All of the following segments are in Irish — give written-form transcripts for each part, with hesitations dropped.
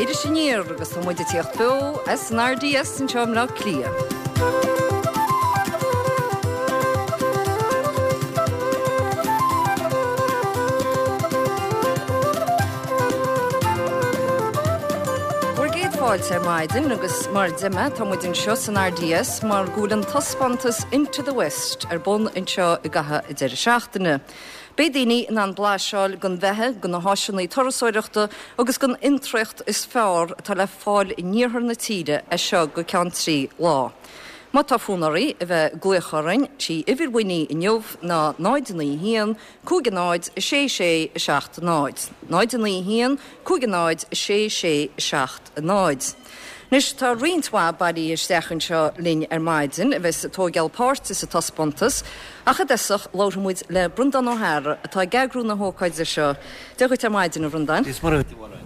Iris Aniar agus tá muid ag tíocht beo as an RDS anseo i mBleá Cliath. Bhur gcéad fáilte ar maidin agus mar a deir mé tá muid anseo san RDS mar go bhfuil an taispeántas Into the West ar bun anseo i gcaitheamh an deireadh seachtaine. Beidh daoine in ann blaiseáil den bheatha, de na háiseanna turasóireachta agus den fhiontraíocht is fearr atá le fáil in iarthar na tíre as seo go ceann 3 lá. Má tá fonn oraibh a bheith ag glaoch orainn, sí uimhir Winnie inniu ná 0 9 1 5 0 6 6 7 0. 0 9 1 5 0 6 6 7 0. Anois, tá roinnt mhaith bailithe isteach anseo linn ar maidin a bheas ag tóigeáil páirte sa taispeántas, ach i dtosach labharfaidh muid le Breandán Ó hEára atá ag eagrú na hócáide seo. Dia dhuit ar maidin, a Bhreandáin. Dia is Muire dhuit, a Mháire.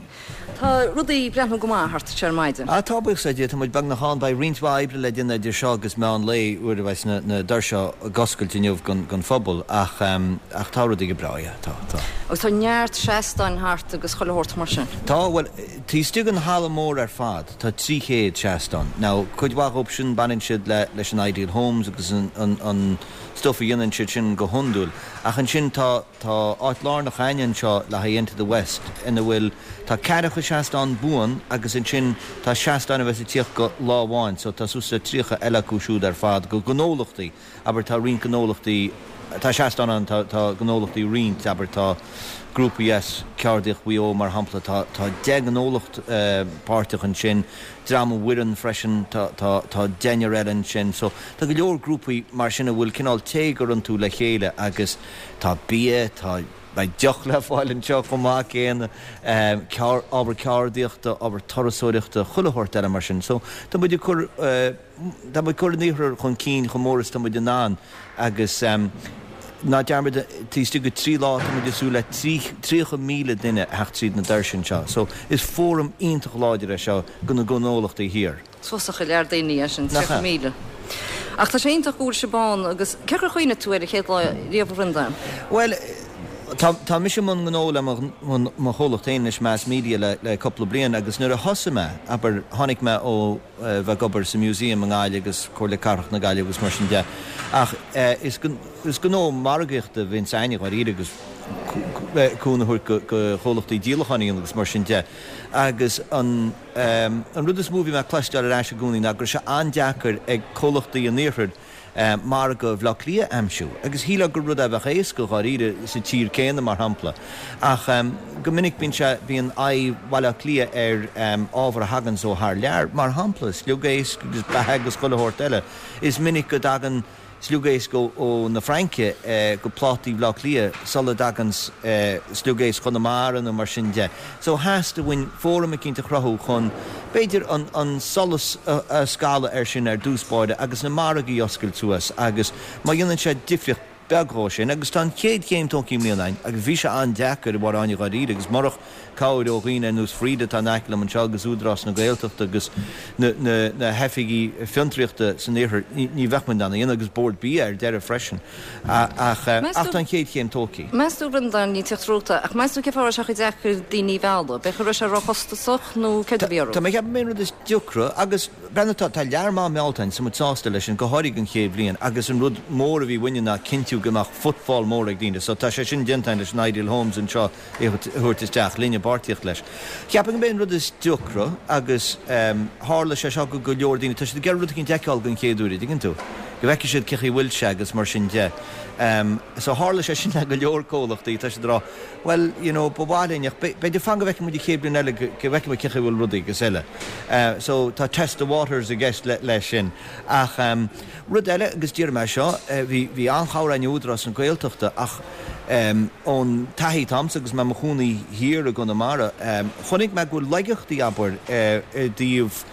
Tá rudaí ag breathnú go maith thart anseo ar maidin. Ah, tá, buíochas le Dia. Tá muid beagnach ann. Beidh roinnt mhaith oibre le déanamh idir seo agus meán lae, uair a bheas na doirse ag oscailt inniu don phobal, ach ach tá rudaí go breá, yeah, tá, tá. Agus tá neart seastáin thart agus chuile shórt mar sin. Tá, bhuel, taobh istigh den halla mór ar fad, tá 300 seastán. Now, cuid mhaith dhóibh sin, baineann siad le leis an Ideal Homes agus an an an stuff a dhéanann siad sin go hiondúil. Ach ansin tá. Tá áit lárnach a'ainn anseo le haghaidh Into the West ina bhfuil, tá ceathracha seastán buan agus ansin tá seastáin a bheas ag tíocht go lá amháin so tá suas le 30 eile acu siúd ar fad go gnólachtaí, abair tá roinnt gnólachtaí, tá seastáin ann, tá, tá gnólachtaí roinnt, abair tá grúpaí as Ceardaíocht Mhaigh Eo mar shampla, tá, tá 10 ngnólacht páirteach ansin, Dream an Bhoirinn freisin, tá, tá, tá deichniúr eile ansin so tá go leor grúpaí mar sin a bhfuil cineál téagar iontu le chéile agus, Tá bia, tá, beidh deoch le fáil anseo chomh maith céanna, ábhar ceardaíochta, ábhar turasóireachta, chuile shórt eile mar sin. So, tá muid ag cur, tá muid ag cur an iarthar chun cinn chomh mór is tá muid in ann agus ná dearmad, taobh istigh de 3 lá tá muid ag súil le 30,000 duine a theacht tríd na doirse anseo. So, is fóram iontach láidir é seo do na gnólachtaí thiar. Túsach go leor daoine é sin, 30,000. Ach tá sé iontach go bhfuil sibh ann agus cén chaoi ar chuimhnigh tú air an chéad lá riamh a Bhreandáin? Bhuel, tá, tá mise i mbun gnó le mo, mo chomhlacht féin anois, Mass Media, le, le cúpla bliain agus nuair a thosaigh mé, abair, tháinig mé ó bheith ag obair sa Museum i nGaillimh agus Comhairle Cathrach na Gaillimhe agus mar sin de ach is, is gnó margaíochta a bhí a'inne dháiríre agus cúnamh a thabhairt go, go chomhlachtaí díolacháin a dhéanamh agus mar sin de agus an, An rud is mó a bhí mé ag cloisteáil ar ais i gcónaí ná go raibh sé an-deacair ag comhlachtaí an iarthair margadh Bhaile Átha Cliath a aimsiú. Agus shílfeá gur rud é a bheadh éasca dháiríre sa tír céanna, mar shampla. Ach go minic bíonn sé, bíonn aghaidh Bhaile Átha Cliath ar ábhar a thaganns ó thar lear. Mar shampla, sliogéisc agus beatha agus chuile shórt eile. Is minic go dtagann. sliogéisc ó na Fraince go plátaí Bhaile Átha Cliath sula dtagann sliogéisc Chonamara nó mar sin de. So theastaigh uainn fóram eicínt a chruthú chun, b'fhéidir, an solas a scaladh air sin ar dtús báire agus na margaí a oscailt suas agus má dhéanann sé difríocht beag dhó sin agus tá an chéad chéim tógtha i mbliana againn agus bhí sé an-deacair, a Mháire Áine dháiríre agus murach cabhair ó dhaoine ar nós Frida atá in aice liom anseo agus Údarás na Gaeltachta agus na hoifigí fiontraíochta san iarthar, ní bheadh muid in ann a dhéanamh, agus Bord Bia ar deireadh freisin. Ach tá an chéad chéim tógtha. Meas tú, a Bhreandáin, ní tíocht romhat, ach meas tú cén fáth a raibh sé chomh deacair daoine a mhealladh? B'fhéidir go raibh sé róchostasach nó céard a bhí orthu? Tá mé ag ceapadh gurb é an rud is deacra agus breathnaigh tá lear maith meallta againn, so muid sásta leis sin, go háirithe don chéad bhliain agus an rud mór a bhí uainne ná cinntiú go mbeadh footfall mór ag daoine so tá sé sin déanta againn leis an Ideal Homes anseo é a thabhairt isteach linn i bpáirtíocht leis. Cheapfainn gurb é an rud is deacra, agus tharla sé seo go go leor daoine, tá siad ag iarraidh rud eicínt a fheiceáil den chéad uair, an dtuigeann tú? Go bhfeicfidh siad cé chaoi a bhfuil sé agus mar sin de. So tharla sé sin le go leor comhlachtaí, tá siad ag rá, bhuel, you know, ba mhaith linn ach b'fhéidir fan go bhfeicfidh muid an chéad bhliain eile go bhfeicfidh muid cé chaoi a bhfuil rudaí agus eile. So tá test the waters i gceist leis sin. Ach rud eile, agus déarfaidh mé seo, bhí bhí an-chabhair againn ó Údarás na Gaeltachta ach, Ón taithí atá a'msa agus mé i mo chónaí thiar i gConamara, chonaic mé go bhfuil laigeachtaí, abair, i dtaobh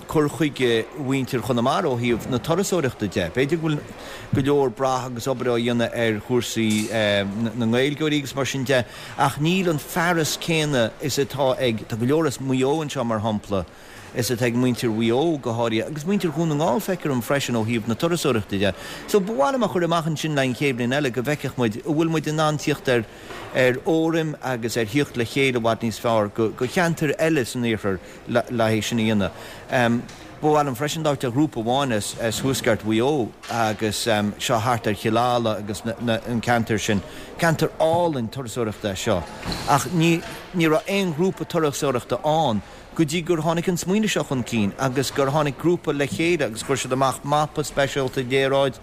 cur chuige mhuintir Chonamara ó thaobh na turasóireachta de. B'fhéidir go bhfuil go leor brath agus obair á dhéanamh ar chúrsaí na nGaeilgeoirí agus mar sin de, ach níl an fearas céanna is atá ag, tá go leor as Maigh Eo anseo mar shampla. is atá ag muintir Mhaigh Eo go háirithe, agus muintir Dhún na nGall feictear dom freisin ó thaobh na turasóireachta de. So ba mhaith liom a chur amach ansin le an chéad bhliain eile go bhfeicfeadh muid an bhfuil muid in ann tíocht ar ar fhóraim agus ar thíocht le chéile i bhfad níos fearr go go cheantair eile san iarthar le le é sin a dhéanamh. Ba mhaith liom freisin labhairt ar ghrúpa amháin as as thuaisceart Mhaigh Eo agus seo thart ar Chill Ala agus na na an ceantar sin. Ceantar álainn turasóireachta é seo ach ní ní raibh aon ghrúpa turasóireachta ann go dtí gur tháinig an smaoineamh seo chun cinn agus gur tháinig grúpa le chéile agus chuir siad amach mapa speisialta, léaráid,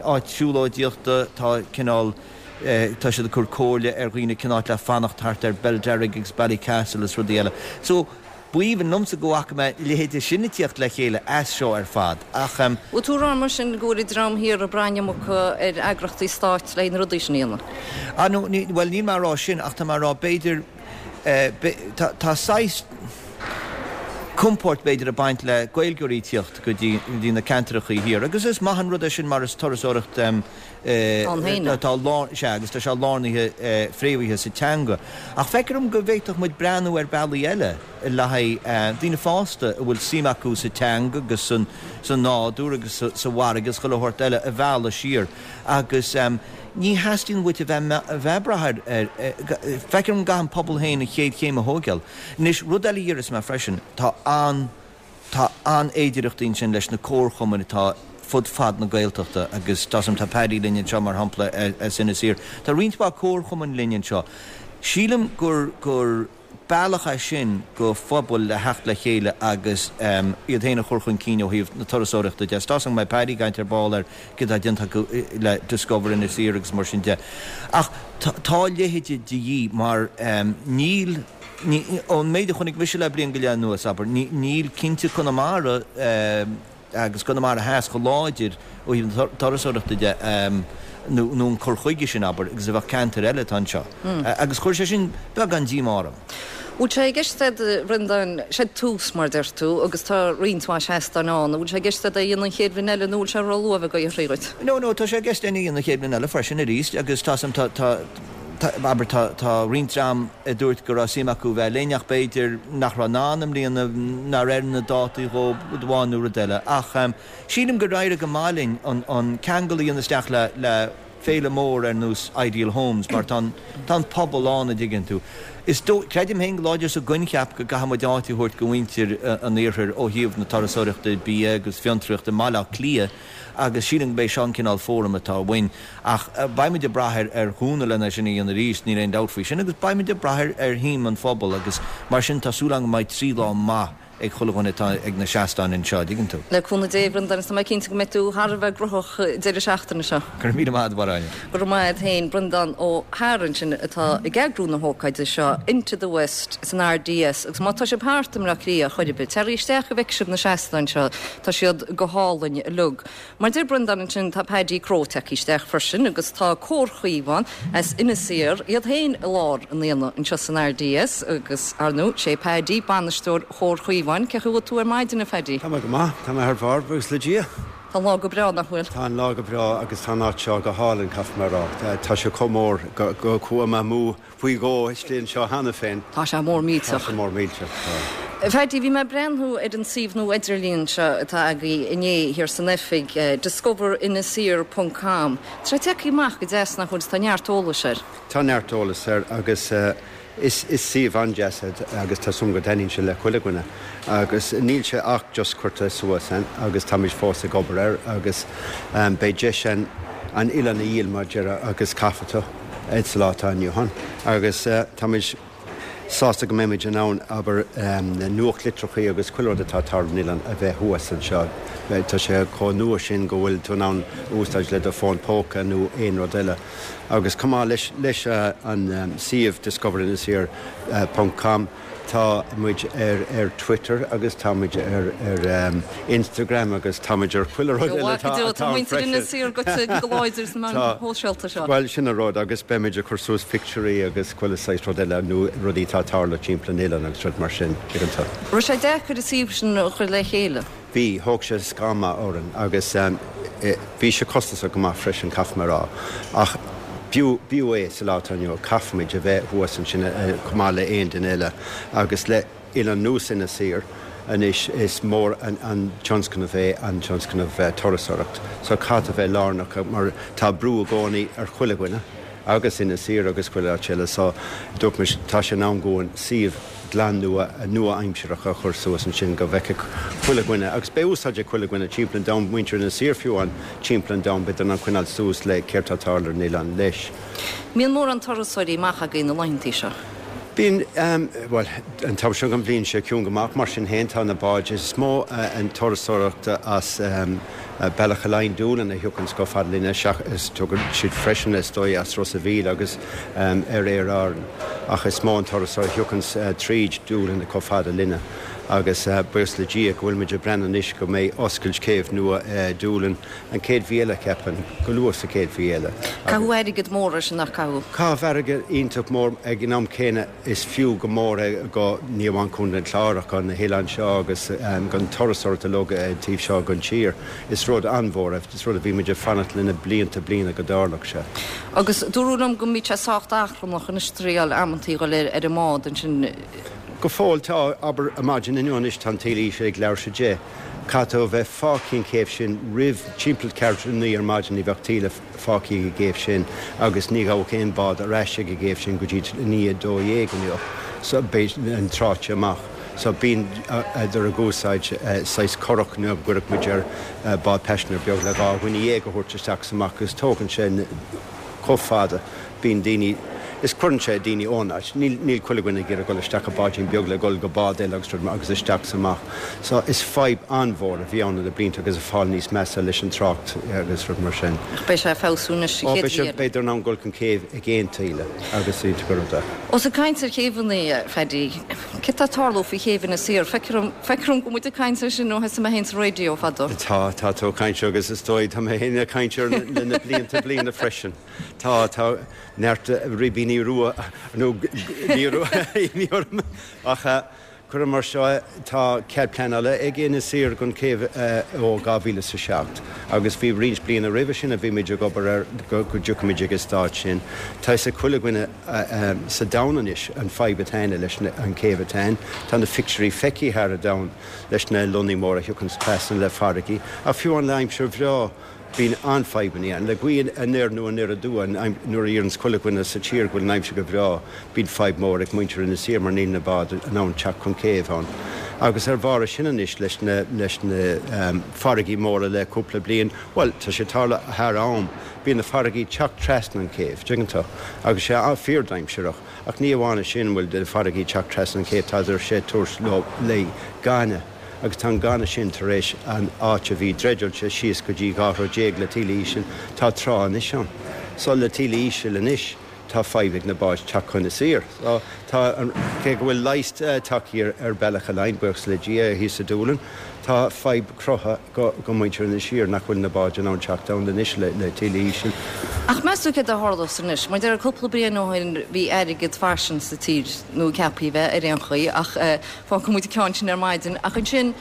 áit siúlóidíochta, tá cineál, tá siad ag cur comhairle ar dhaoine cén áit le fanacht thart ar Belderrig agus Ballycastle is rudaí eile. So, b'aoibhinn liomsa go bhfaca mé a leithéide sin ag tíocht le chéile as seo ar fad ach. Bhfuil tú ag rá mar sin go bhfuil an dream thiar ag brath an iomarca ar eagrachtaí stáit le na rudaí sin a dhéanamh? Ah no, ní, bhuel níl mé ag rá sin ach tá mé ag rá b'fhéidir, Tá saghas compóirt b'fhéidir ag baint le Gaeilgeoirí tíocht go dtí na ceantrachaí thiar agus is maith an rud é sin mar is turasóireacht atá lár, sea agus tá sé lárnaithe fréamhaithe sa teanga. Ach feictear dom go bhféadfadh muid breathnú ar bealaí eile le haghaidh daoine fásta a bhfuil suim acu sa teanga agus sa nádúr agus sa bhfarraige agus chuile shórt eile a mhealladh siar agus Ní theastaíonn uait a bheith a bheith ag brath ar ar feictear dom go gcaithfidh an pobal féin an chéad chéim a thóigeáil. Anois, rud eile a déarfas mé freisin, tá an tá an-fhéidireachtaí ansin leis na comharchumainn atá fud fad na Gaeltachta agus tá tá Paddy linn anseo mar shampla as Inis Oírr. Tá roinnt mhaith comharchumainn linn anseo. Sílim gur gur. Bealach é sin go phobail le theacht le chéile agus iad féin a chur chun cinn ó thaobh na turasóireachta de. Is tá 's agam go mbeidh Paddy ag caint ar ball ar céard atá déanta acu le Discover Inis Oírr agus mar sin de. Ach tá a leithéide de dhíth mar níl, ón méid a chonaic mise le bliain go leith anuas, abair, níl cinnte Conamara, agus Conamara Theas chomh láidir ó thaobh na turasóireachta de, nó an cur chuige sin, abair, agus a bheadh ceantair eile atá anseo. Agus chuir sé sin beagán díomá orm. Bhfuil sé i gceist agat, a Bhreandáin, sé tús, mar a deir tú, agus tá roinnt mhaith seastáin ann, an bhfuil sé i gceist agat é a dhéanamh an chéad bhliain eile nó bhfuil sé ró-luath a bheith ag iarraidh dhuit? No, no, tá sé i gceist againn a dhéanamh an chéad bhliain eile freisin arís agus tá, tá, tá, abair, tá, tá roinnt dream a dúirt go raibh suim acu bheith linn ach b'fhéidir nach raibh in ann i mbliana, nár oir na dátaí dhóibh, rud amháin nó rud eile. Ach sílim gur éirigh go maith linn an, an ceangal a dhéanamh isteach le, le féile mór ar nós Ideal Homes mar tá an, tá an pobal ann, a dtuigeann tú. Is dóigh, creidim féin go láidir sa gcoincheap go gcaithfidh muid áit a thabhairt go mhuintir an iarthair ó thaobh na turasóireachta, bia agus fiontraíochta i mBaile Átha Cliath agus sílim go mb'é seo an cineál fóram atá uainn. Ach beidh muid ag brath ar chúnamh lena sin a dhéanamh arís, níl aon dabht faoi sin, agus beidh muid ag brath ar shuim an phobail agus mar sin tá súil agam go mbeidh 3 lá maith ag chuile dhuine atá ag na seastáin anseo, an dtuigeann tú. Le cúnamh Dé, a Bhreandáin, is tá mé cinnte go mbeidh tú thar a bheith gnóthach an deireadh seachtaine seo. Go raibh míle maith agat, a Mháire. Go raibh maith agat féin, Breandán Ó hEára ansin atá ag eagrú na hócáide seo, Into the West san RDS, agus má tá sibh thart i mBleá Cliath chor ar bith, téirigí isteach go bhfeicfidh sibh na seastáin seo, tá siad go hálainn uilig. Mar a deir Breandán ansin, tá Paddy Crowe tagtha isteach freisin agus tá Cór Chaomháin as Inis Oírr iad féin i lár an aonaigh anseo san RDS agus, ar ndóigh, sé Paddy bainisteoir Chór Chaomháin. Cén chaoi a bhfuil tú ar maidin, a Phaddy? Tá mé go maith. Tá mé thar barr, buíochas le Dia. Tá an lá go breá, nach bhfuil? Tá an lá go breá agus tá an áit seo go hálainn, caithfidh mé a rá. Tá sé chomh mór go chuaigh mé amú faoi dhó istigh anseo cheana féin. Tá sé mór millteach. Tá sé mór millteach, tá. A Phaddy, bhí mé ag breathnú ar an suíomh nua idirlín seo atá agaibh inné thiar san oifig, discoverinisir ponc com. Tá sé tagtha amach go deas nach bhfuil? Tá neart eolais air. Tá neart eolais air agus is suíomh an-deas é agus tá súil agam go dtaitníonn sé le chuile dhuine. Agus níl sé ach just curtha suas ann agus táimid fós ag obair air agus beidh deis ann an oileán a dhíol mar a déarfá agus caithfidh tú. sa lá atá inniu ann agus táimid sásta go mbeimid in ann, abair, na nuachtlitreachaí agus chuile rud atá ag tarlú ar an oileán a bheith thuas anseo. Tá sé chomh nua sin go bhfuil tú in ann úsáid le do fón póca nó aon rud eile. Agus chomh maith leis leis an suíomh discoverinisir ponc com, Tá muid ar ar Twitter agus tá muid ar ar Instagram agus tá muid ar chuile rud eile atá atá Tá muintir Inis Oírr goite go láidir sna meáin shóisialta seo. Bhuel, sin an rud agus beimid ag cur suas pictiúirí agus chuile saghas rud eile nó rudaí atá ag tarlú timpeall an oileáin agus rud mar sin, tuigeann tú. Raibh sé deacair an suíomh sin a chur le chéile? Bhí, thóg sé scáth maith orainn agus bhí sé costasach go maith freisin, caithfidh mé a rá. Ach b'fhiú, b'fhiú é sa lá atá inniu, caithfimid a bheith thuas ansin chomh maith le aon duine eile agus le oileán nós Inis Oírr. Anois is mór an tionscnamh é an tionscnamh turasóireacht so caithfidh a bheith lárnach mar tá brú i gcónaí ar chuile dhuine agus Inis Oírr agus chuile áit eile so dúirt mise tá sé in am dhúinn suíomh glan nua nua-aimsearach a chur suas ansin go bhfeicfeadh chuile dhuine agus beidh úsáid ag chuile dhuine timpeall an domhain, muintir Inis Oírr fiú amháin timpeall an domhain beidh in ann coinneáil suas le céard tá ag tarlú ar an oileán leis. Mbíonn mórán turasóirí amach agaibh na laethantaí seo? Bíonn, bhuel, an t-am seo den bhliain sé ciúin go maith, mar sin féin tá na báid, is mó an turasóireacht as Bealach a' Laighin, Doolin a thiocfanns chomh fada linne, seachas, tagann siad freisin is dóigh as Ros a' Mhíl agus ar Aer Árann, ach is mó an turasóir a thiocfanns tríd Doolin chomh fada linne agus buíochas le Dia go bhfuil muid ag breathnú anois go mbeidh oscailt céibh nua Doolin an chéad mhí eile, ceapaim, go luath sa chéad mhí eile. Caitheadh airgead mór air sin, nach caitheadh? Caitheadh airgead iontach mór ag an am céanna is fiú go mór é go, ní amháin Contae an Chláir ach go na hoileáin seo agus don turasóireacht uilig an taobh seo den tír. Is rud an-mhór é, is rud a bhí muid ag fanacht lena blianta bliana go dtarlódh sé. Agus dúradh liom go mbíodh sé sách achrannach anois triail amantaí dhul ar an mbád ansin. Go fóill tá, abair, ar maidin inniu anois tá an taoille íseal ag leathuair tar éis a deich. Caithfidh tú a bheith fágtha an chéibh sin roimh timpeall ceathrú tar 9 ar maidin, ní bheadh taoille fágtha ag an gcéibh sin agus ní ghabhfadh aon bhád ar ais ag an gcéibh sin go dtí i ndiaidh 12 inniu so beidh an tráite amach. So bíonn idir ag úsáid saghas curach nó a gcuirfeadh muid ar bád paisinéir beag le 12 dhuine a thabhairt isteach is amach agus tógann sé chomh fada. Bíonn daoine, is cuireann sé daoine ón áit, níl, níl chuile dhuine ag iarraidh dul isteach i báidín beag le dhul go bád eile agus rud mar, agus isteach is amach. So is fadhb an-mhór a bhí ann le blianta agus ag fáil níos measa leis an trácht agus rud mar sin. Ach beidh sé ag feabhsú anois sa Ó, chéad beidh sé, mhí eile. beidh in ann dul chun céibh ag aon taoille agus iontach an rud é. Ós ag caint ar chéibheanna, a Phaddy, céard tá ag tarlú faoi chéibh Inis Oírr? Feictear dom, feictear dom go bhfuil muid ag caint air sin ó thosaigh mé féin sa raidió fadó. Tá, tá tú ag caint agus is dóigh, tá mé féin ag caint air le na blianta bliana freisin. Tá, tá neart ribíní rua, nó ní rua, ní orm, ach cuirim mar seo é, tá cead pleanála ag Inis Oírr don chéibh ó 2007 agus bhí roinnt bliana roimhe sin a bhí muid ag obair air go dtiocfaimid ag an staid sin. Tá fhios ag chuile dhuine sa domhan anois an fadhb atá ann leis an chéibh atá ann. Tá na pictiúirí feicthe thar an domhan leis na lonnaí móra a thiocfanns trasna le farraigí ach fiú amháin le aimsir bhreá, Bíonn an-fhadhbanna ann. Le gaoth anoir nó anoir aduaidh, nuair a dheireanns chuile dhuine sa tír go bhfuil an aimsir go breá, bíonn fadhb mór ag muintir Inis Oírr mar níl na báid in ann teacht chun céibh ann. Agus ar bharr sin anois leis na leis na farraigí móra le cúpla bliain, bhuel, tá sé ag tarlú thar am, bíonn na farraigí ag teacht trasna an chéibh, dtuigeann tú, agus sé fíor-dainséarach. Ach ní amháin é sin, bhfuil na farraigí ag teacht trasna an chéibh, tá sé ag tabhairt leo léi gaineamh. agus tá an gaineamh sin tar éis an áit a bhí dreideáilte síos go dtí 12 throigh le taoille íseal, tá trá anois ann. So le taoille íseal anois tá fadhb ag na báid teacht chun Inis Oírr. So tá an, cé go bhfuil leigheas tagtha ar Bealach a' Laighin, buíochas le Dia, thíos i Dúlainn, tá fadhb cruthaithe go, go muintir Inis Oírr nach bhfuil na báid in ann teacht ann anois le, le taoille íseal. Ach meas tú céard a tharlós anois? Mar deir cúpla bliain ó shin bhí airgead fairsing sa tír, nó ceaptha a bheith ar aon chaoi, ach Fágfaidh muid an ceann sin ar maidin. Ach ansin,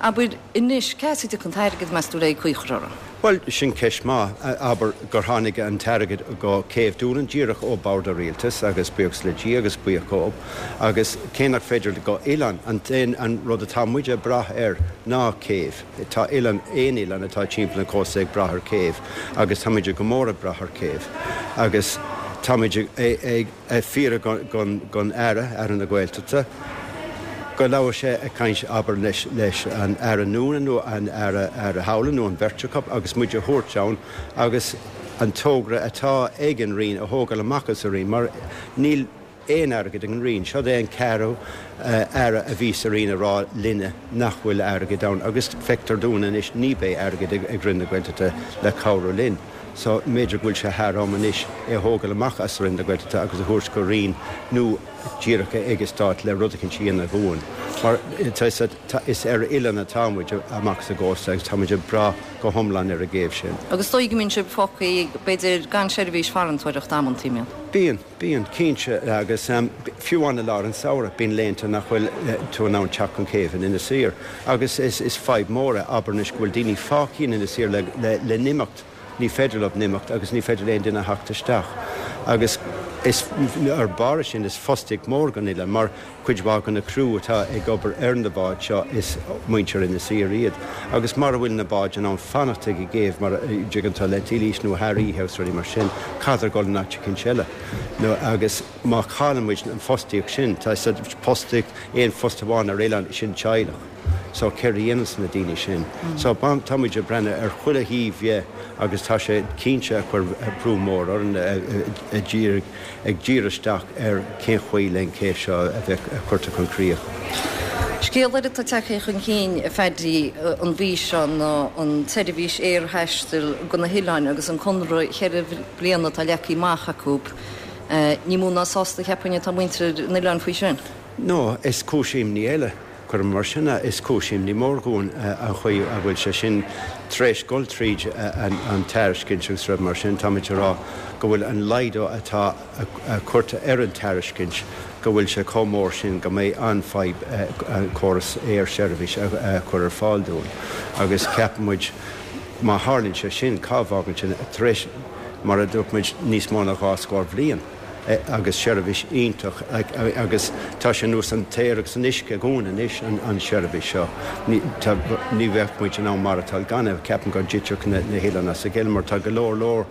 abair, anois, cá as a dtiocfaidh an t-airgead, meas tú, le caoi a chur orthu? Bhuel, sin ceist maith. Abair gur tháinig an t-airgead go céibh Dúlainn díreach ó bord an rialtais agus buíochas le Dia agus buíoch dhób. Agus cé nach féidir go oileán, an t-aon, an rud atá muid ag brath air ná céibh. Tá oileán, aon oileán atá timpeall an chósta ag brath ar céibh agus tá muid go mór ag brath ar céibh. Agus tá muid ag. ag fiafraí gon Aire, Aire na Gaeltachta, go labhradh sé ag caint, abair, leis leis an Aire Noonan nó an Aire Aire Howlin nó an bheirt acu agus muid a thabhairt ann agus an togra atá ag an Roinn a thógáil amach as an Roinn mar níl aon airgead ag an Roinn. Seod é an ceathrú Aire a bhí sa Roinn a rá linne nach bhfuil airgead ann agus feictear dúinn anois ní beidh airgead ag Roinn na Gaeltachta le cabhrú linn. So, mb'fhéidir go bhfuil sé thar am anois é a thógáil amach as Roinn na Gaeltachta agus a thabhairt go Roinn nó díreach ag an Stát le rud eicínt a dhéanamh dhúinn. Mar is ar oileán atá muid amach sa gcósta agus tá muid ag brath go hiomlán ar an gcéibh sin. Agus is dóigh go mbíonn sibh fágtha, b'fhéidir, gan seirbhís farantóireachta amantaí, mbíonn? Bíonn, bíonn, cinnte. Agus fiú amháin i lár an samhradh, bíonn laethanta nach bhfuil tú in ann teacht chun céibhe in Inis Oírr. Agus is fadhb mór é, abair anois, go bhfuil daoine fágtha in Inis Oírr le n-imeacht, ní féidir leo n-imeacht agus ní féidir le aon duine theacht isteach. Agus. Is ar barr sin is fostaíocht mór don oileán mar cuid mhaith de na criú atá ag obair ar na báid seo is muintir Inis Oírr iad agus mara bhfuil na báid in ann fanacht ag an gcéibh mar a dtuigeann tú le Eilís nó thar oíche agus rudaí mar sin caithfear dul in áit eicínt eile nó agus má chailleann muid an fostaíocht sin tá fostaíocht aon phost amháin ar oileán sin teaghlach. So céard a dhéananns na daoine sin? So tá muid ag breathnú ar chuile thaobh dhe agus tá sé cinnte ag cur brú mór orainn ag díriú isteach ar cén chaoi le an céibh seo a bheith curtha chun críoch. Scéal eile atá tagtha chun cinn, a Phaddy, an mhí seo ná an tseirbhís aerthaistil go na hoileáin agus an conradh cheithre bliana atá leagtha amach acu. Ní mó ná sásta, cheapfainn, atá muintir an oileáin faoi sin. No, is cúis imní eile. Cuirim mar sin é, is cúis imní mór dhúinn an chaoi a bhfuil sé sin tar éis dul tríd an tairiscint agus rudaí mar sin. Táimid ag rá go bhfuil an laghdú atá curtha ar an tairiscint, go bhfuil sé chomh mór sin go mbeidh an-fhadhb an córas aersheirbhís a chur ar fáil dúinn. Agus ceapann muid má tharlaíonn sé sin, cá bhfágann sin tar éis, mar a dúirt muid, níos mó ná dhá scór bhliain? agus seirbhís iontach agus tá sé ar nós an t-aer agus an uisce dhúinn anois an seirbhís seo. Ní bheadh muid in ann maireachtáil gan é. Ceapaim go dtitfeadh na hoileáin as a chéile mar tá go leor leor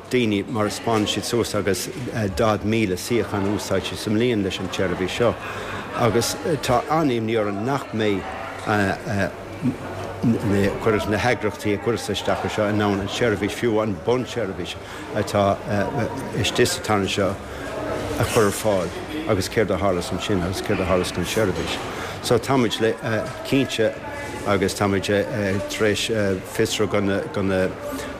daoine mar a spáineann siad suas agus 40,000 suíochán a úsáid siad sa mbliain leis an tseirbhís seo agus tá an-imní orainn nach mbeidh na heagraíochtaí a chuireas isteach ar seo in ann an tseirbhís, fiú an bunseirbhís, atá istigh sa tarna seo a chur ar fáil agus céard a tharlós ansin agus céard a tharlós don seirbhís. So táimid le cinnte agus táimid tar éis fiosrú go na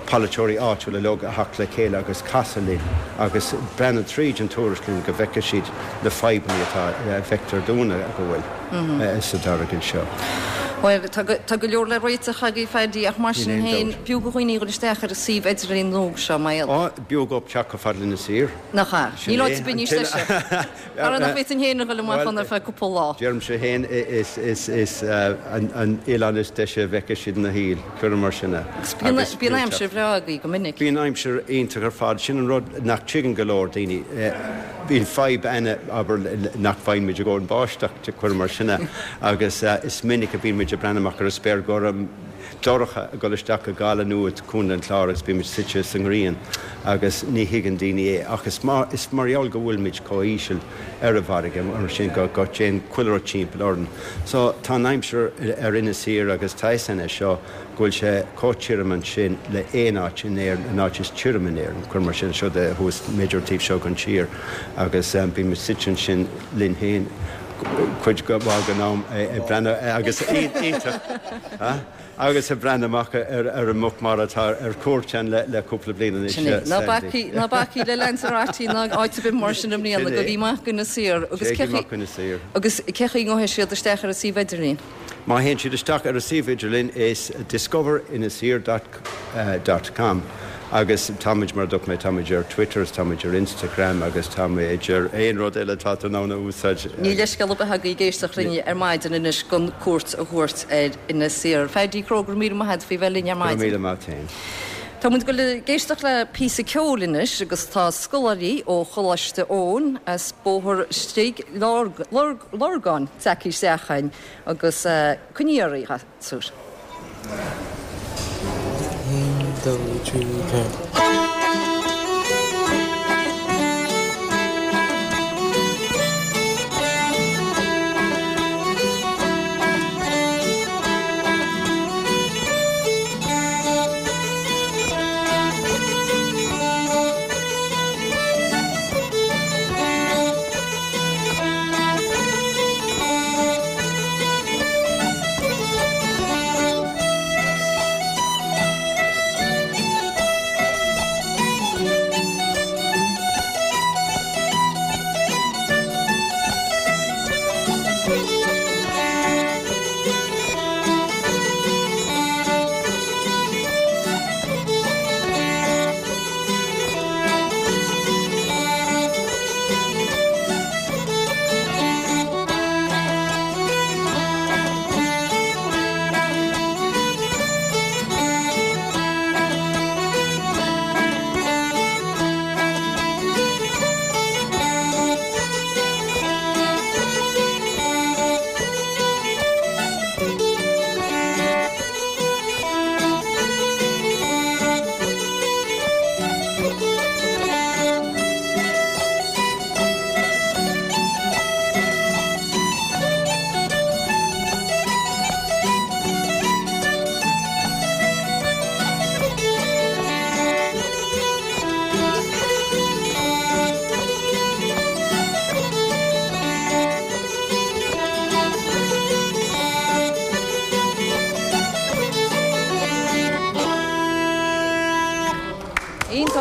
polaiteoirí áitiúla uilig a theacht le chéile agus casadh linn agus breathnú tríd an tuairisc linn go bhfeicfidh siad na fadhbanna atá a bhfeictear dúinn go bhfuil sa tairiscint seo. Bhuel, tá go leor le réiteach agaibh, Phaddy, ach mar sin féin, b'fhiú do dhaoine dhul isteach ar an suíomh idirlín nua seo, mar gheall. Á, b'fhiú dhóibh teacht chomh fada le Inis Oírr. Nach ea? Níl áit ar bith níos deise. Ara nach bhféadfainn féin a dhul amach ann ar feadh cúpla lá. Deirimse féin, is an oileán is deise a bhfeicfidh siad ina shaol, cuirim mar sin é. Agus bíonn aimsir bhreá agaibh go minic. Bíonn aimsir iontach ar fad. Sin an rud nach dtuigeann go leor daoine. Bíonn fadhb againne, abair, nach bhfaigheann muid i gcónaí báisteach, cuirim mar sin é, agus is minic a bhíonn muid ag breathnú amach ar an spéir gorm, dorcha, ag dul isteach go Gaillimh nó go Contae an Chláir agus bíonn muid suite sa ngrian agus ní thuigeann daoine é. Ach is mar is mar gheall go bhfuil muid chomh híseal ar an bhfarraige mar sin go go dtéann chuile rud timpeall orainn. So tá an aimsir ar Inis Oírr agus tá fhios againn é seo, go bhfuil sé chomh tirim ansin le aon áit in Éirinn, an áit is tirime in Éirinn, cuir mar sin, seo de thuas, b'fhéidir an taobh seo den tír agus bíonn muid suite ansin linn féin cuid mhaith den am ag breathnú agus iontach agus ag breathnú amach ar an muc mara atá ar cuairt ann le cúpla bliain anois. Sin é. Ná bacaigí, ná bacaigí le Lanzarote ná áit ar bith mar sin i mbliana, gabhaigí amach go Inis Oírr agus cé Téigí amach go Inis Oírr. Agus cé chaoi a ngabhfaidh siad isteach ar an suíomh idirlín? Má théann siad isteach ar an suíomh idirlín is discoverinisoirr dot com agus táimid, mar a dúirt mé, táimid ar Twitter is táimid ar Instagram agus táimid ar aon rud eile atá tú in ann a úsáid. Níl leithscéal ar bith agaibh ag éisteacht linn ar maidin anois gan cuairt a thabhairt ar Inis Oírr. Phaddy Crowe, go raibh míle maith agat faoi bheith linn ar Go raibh maidin. míle maith féin. Tá muid ag dul ag éisteacht le píosa ceoil anois agus tá scoláirí ó Choláiste Eoin as Bóthar Stigh Lorgáin tagtha isteach chugainn agus coinnigí oraibh, a ghasúir. 1, 2, 3, 4.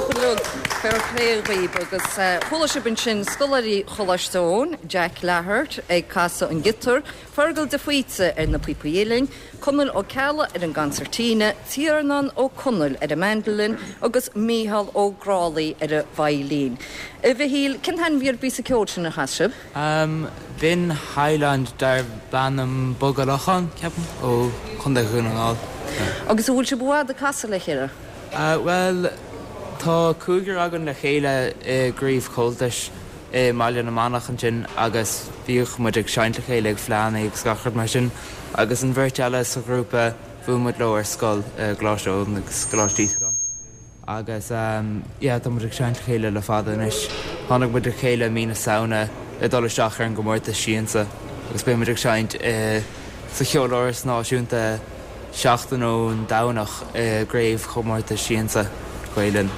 iontach uilig, fair play dhaoib agus chuala sibh ansin scoláirí Choláiste Eoin, Jack Lahart ag casadh an giotar, Fergal de Faoite ar na píopaí uilleann, Conall Ó Ceallaigh ar an gconsairtíne, Tiarnán Ó Conaill ar an mandolin agus Mícheál Ó Grálaigh ar an veidhlín. A Mhichíl, cén t-ainm a bhí ar an bpíosa ceoil sin a chas sibh? B'in Highland darb ainm Bogha Locháin, ceapaim, ó Chontae Dhún na nGall. Agus an bhfuil sibh i bhfad ag casadh le chéile? Bhuel, tá cúigear againn le chéile i gcraobh Chomhaltais i mBaile na Manach ansin agus bhíodh muid ag seinnt le chéile ag fleánna agus gach rud mar sin agus an bheirt eile sa ghrúpa bhuail muid leo ar scoil i gColáiste Eoin agus Coláiste Íosagáin. Agus yeah, tá muid ag seinnt le chéile le fada anois. Tháinig muid le chéile i mí na Samhna le dul isteach ar an gcomórtas Siansa agus beidh muid ag seinnt i sa Cheoláras Náisiúnta seachtain ón Domhnach i gcraobhchomórtas Siansa Gael Linn.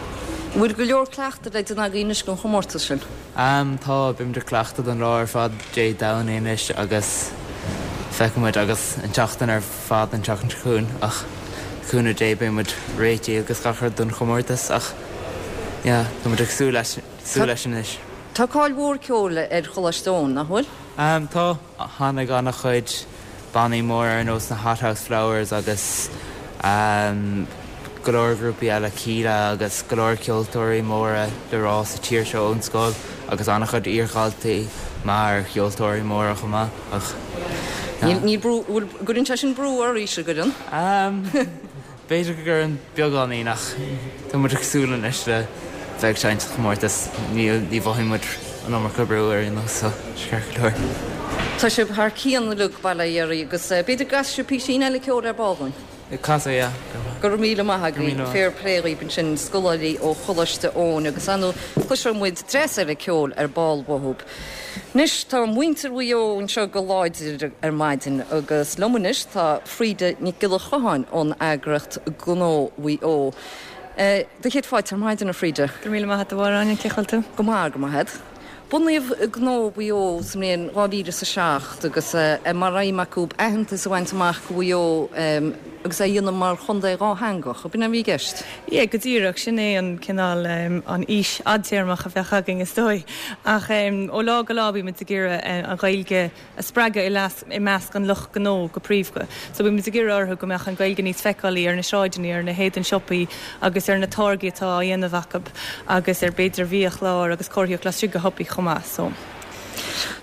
An bhfuil go leor cleachtaidh le déanamh agaibh anois don chomórtas sin? Tá, beidh muid ag cleachtadh an lá ar fad Dé Domhnaigh anois agus feicfidh muid agus an tseachtain ar fad an tseachtain seo chugainn ach le cúnamh Dé beidh muid réitithe agus gach rud don chomórtas ach yeah tá muid ag súil leis súil leis anois. Tá cáil mhór ceoil ar Choláiste Eoin, nach bhfuil? Tá. Tháinig an-chuid bannaí móra ar nós na Hothouse Flowers agus go leor grúpaí eile, Kíla agus go leor ceoltóirí móra le rá sa tír seo ón scoil agus an-chuid iardhaltaí mar cheoltóirí móra chomh maith ach yeah. Níl brú, bhfuil, gcuireann sé sin brú oraibhse, an gcuireann? B'fhéidir go gcuireann beagáinín ach tá muid ag súil anois le bheith ag seinnt sa chomórtas. Níl, ní mhothaíonn muid an iomarca brú ar aon nós so ceart go leor. Tá sibh thar cionn uilig, bail ó Dhia oraibh agus b'fhéidir go gcasfaidh sibh písín eile ceoil ar ball dúinn. Casfaidh, yeah. Go raibh míle maith agaibh. Fair play dhaoibh ansin, scoláirí ó Choláiste Eoin agus ar ndóigh cloisfidh muid dreas eile ceoil ar ball uathu. Anois tá muintir Mhaigh Eo anseo go láidir ar maidin agus liom anois tá Frida Nic Giolla Chotháin ón eagraíocht Gnó Mhaigh Eo. Do chéad fáilte ar maidin, a Frida. Go raibh míle maith agat a Mháire Áine, cén chaoi a bhfuil tú? Go maith, go maith agat. Bunaíodh Gnó Mhaigh Eo sa mbliain 2007 agus é mar aidhm acu aitheantas a bhaint amach do Mhaigh Eo agus é a dhéanamh mar chontae dhátheangach. Ab in é a bhí i gceist? Yeah, go díreach. Sin é an cineál, an fhís fhadtéarmach a bheadh againn is dóigh. Ach ó lá go lá bímid ag iarraidh an Ghaeilge a spreagadh i measc an lucht gnó go príomha. So bímid ag iarraidh orthu go mbeadh an Ghaeilge níos feiceálaí ar na sráideanna, ar na héadain siopaí agus ar na táirgí atá á dhéanamh acu agus ar b'fhéidir biachláir agus comharthaíocht laistigh de shiopaí chomh maith. So.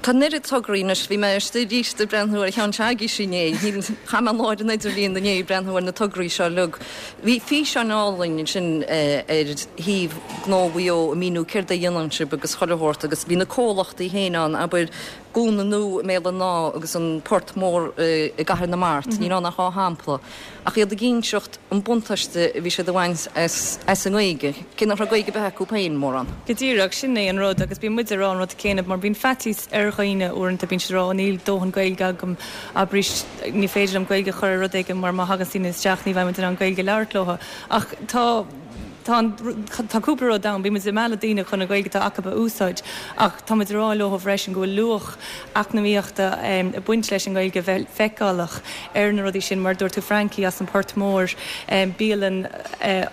Tá an oiread tograí anois. Bhí mé istigh arís ag breathnú ar cheann s'agaibhse inné. Chaith mé an lá ar an idirlíon inné ag breathnú ar na tograí seo uilig. Bhí físeán álainn ansin ar shuíomh Gnó Mhaigh Eo ag míniú céard a dhéanann sibh agus chuile shórt agus bhí na comhlachtaí féin ann, abair, Gúna Nua i mBéal an Átha agus an Port Mór i gCathair na Mart, níl ann ach dhá shampla, ach iad ag inseacht an buntáiste a bhí siad a bhaint as an nGaeilge, cé nach raibh Gaeilge ar bith acu féin, mórán. Go díreach, sin é an rud agus bíonn muid ag rá an rud céanna mar bíonn faitíos ar dhaoine uaireanta, bíonn siad ag rá 'ó níl dóthain Gaeilge agam, abraimis ní féidir liom Gaeilge a chur ar rud éigin mar má thagann daoine isteach ní bheidh muid in ann Gaeilge a labhairt leo ach tá Tá an, tá cúpla rud ann, bíonn muid ag mealladh daoine chun an Ghaeilge atá acu a úsáid ach tá muid ag rá leo freisin go bhfuil luach eacnamaíochta ag baint leis an nGaeilge a bheith feiceálach ar na rudaí sin. Mar a dúirt tú Frankie as an Port Mór, bialann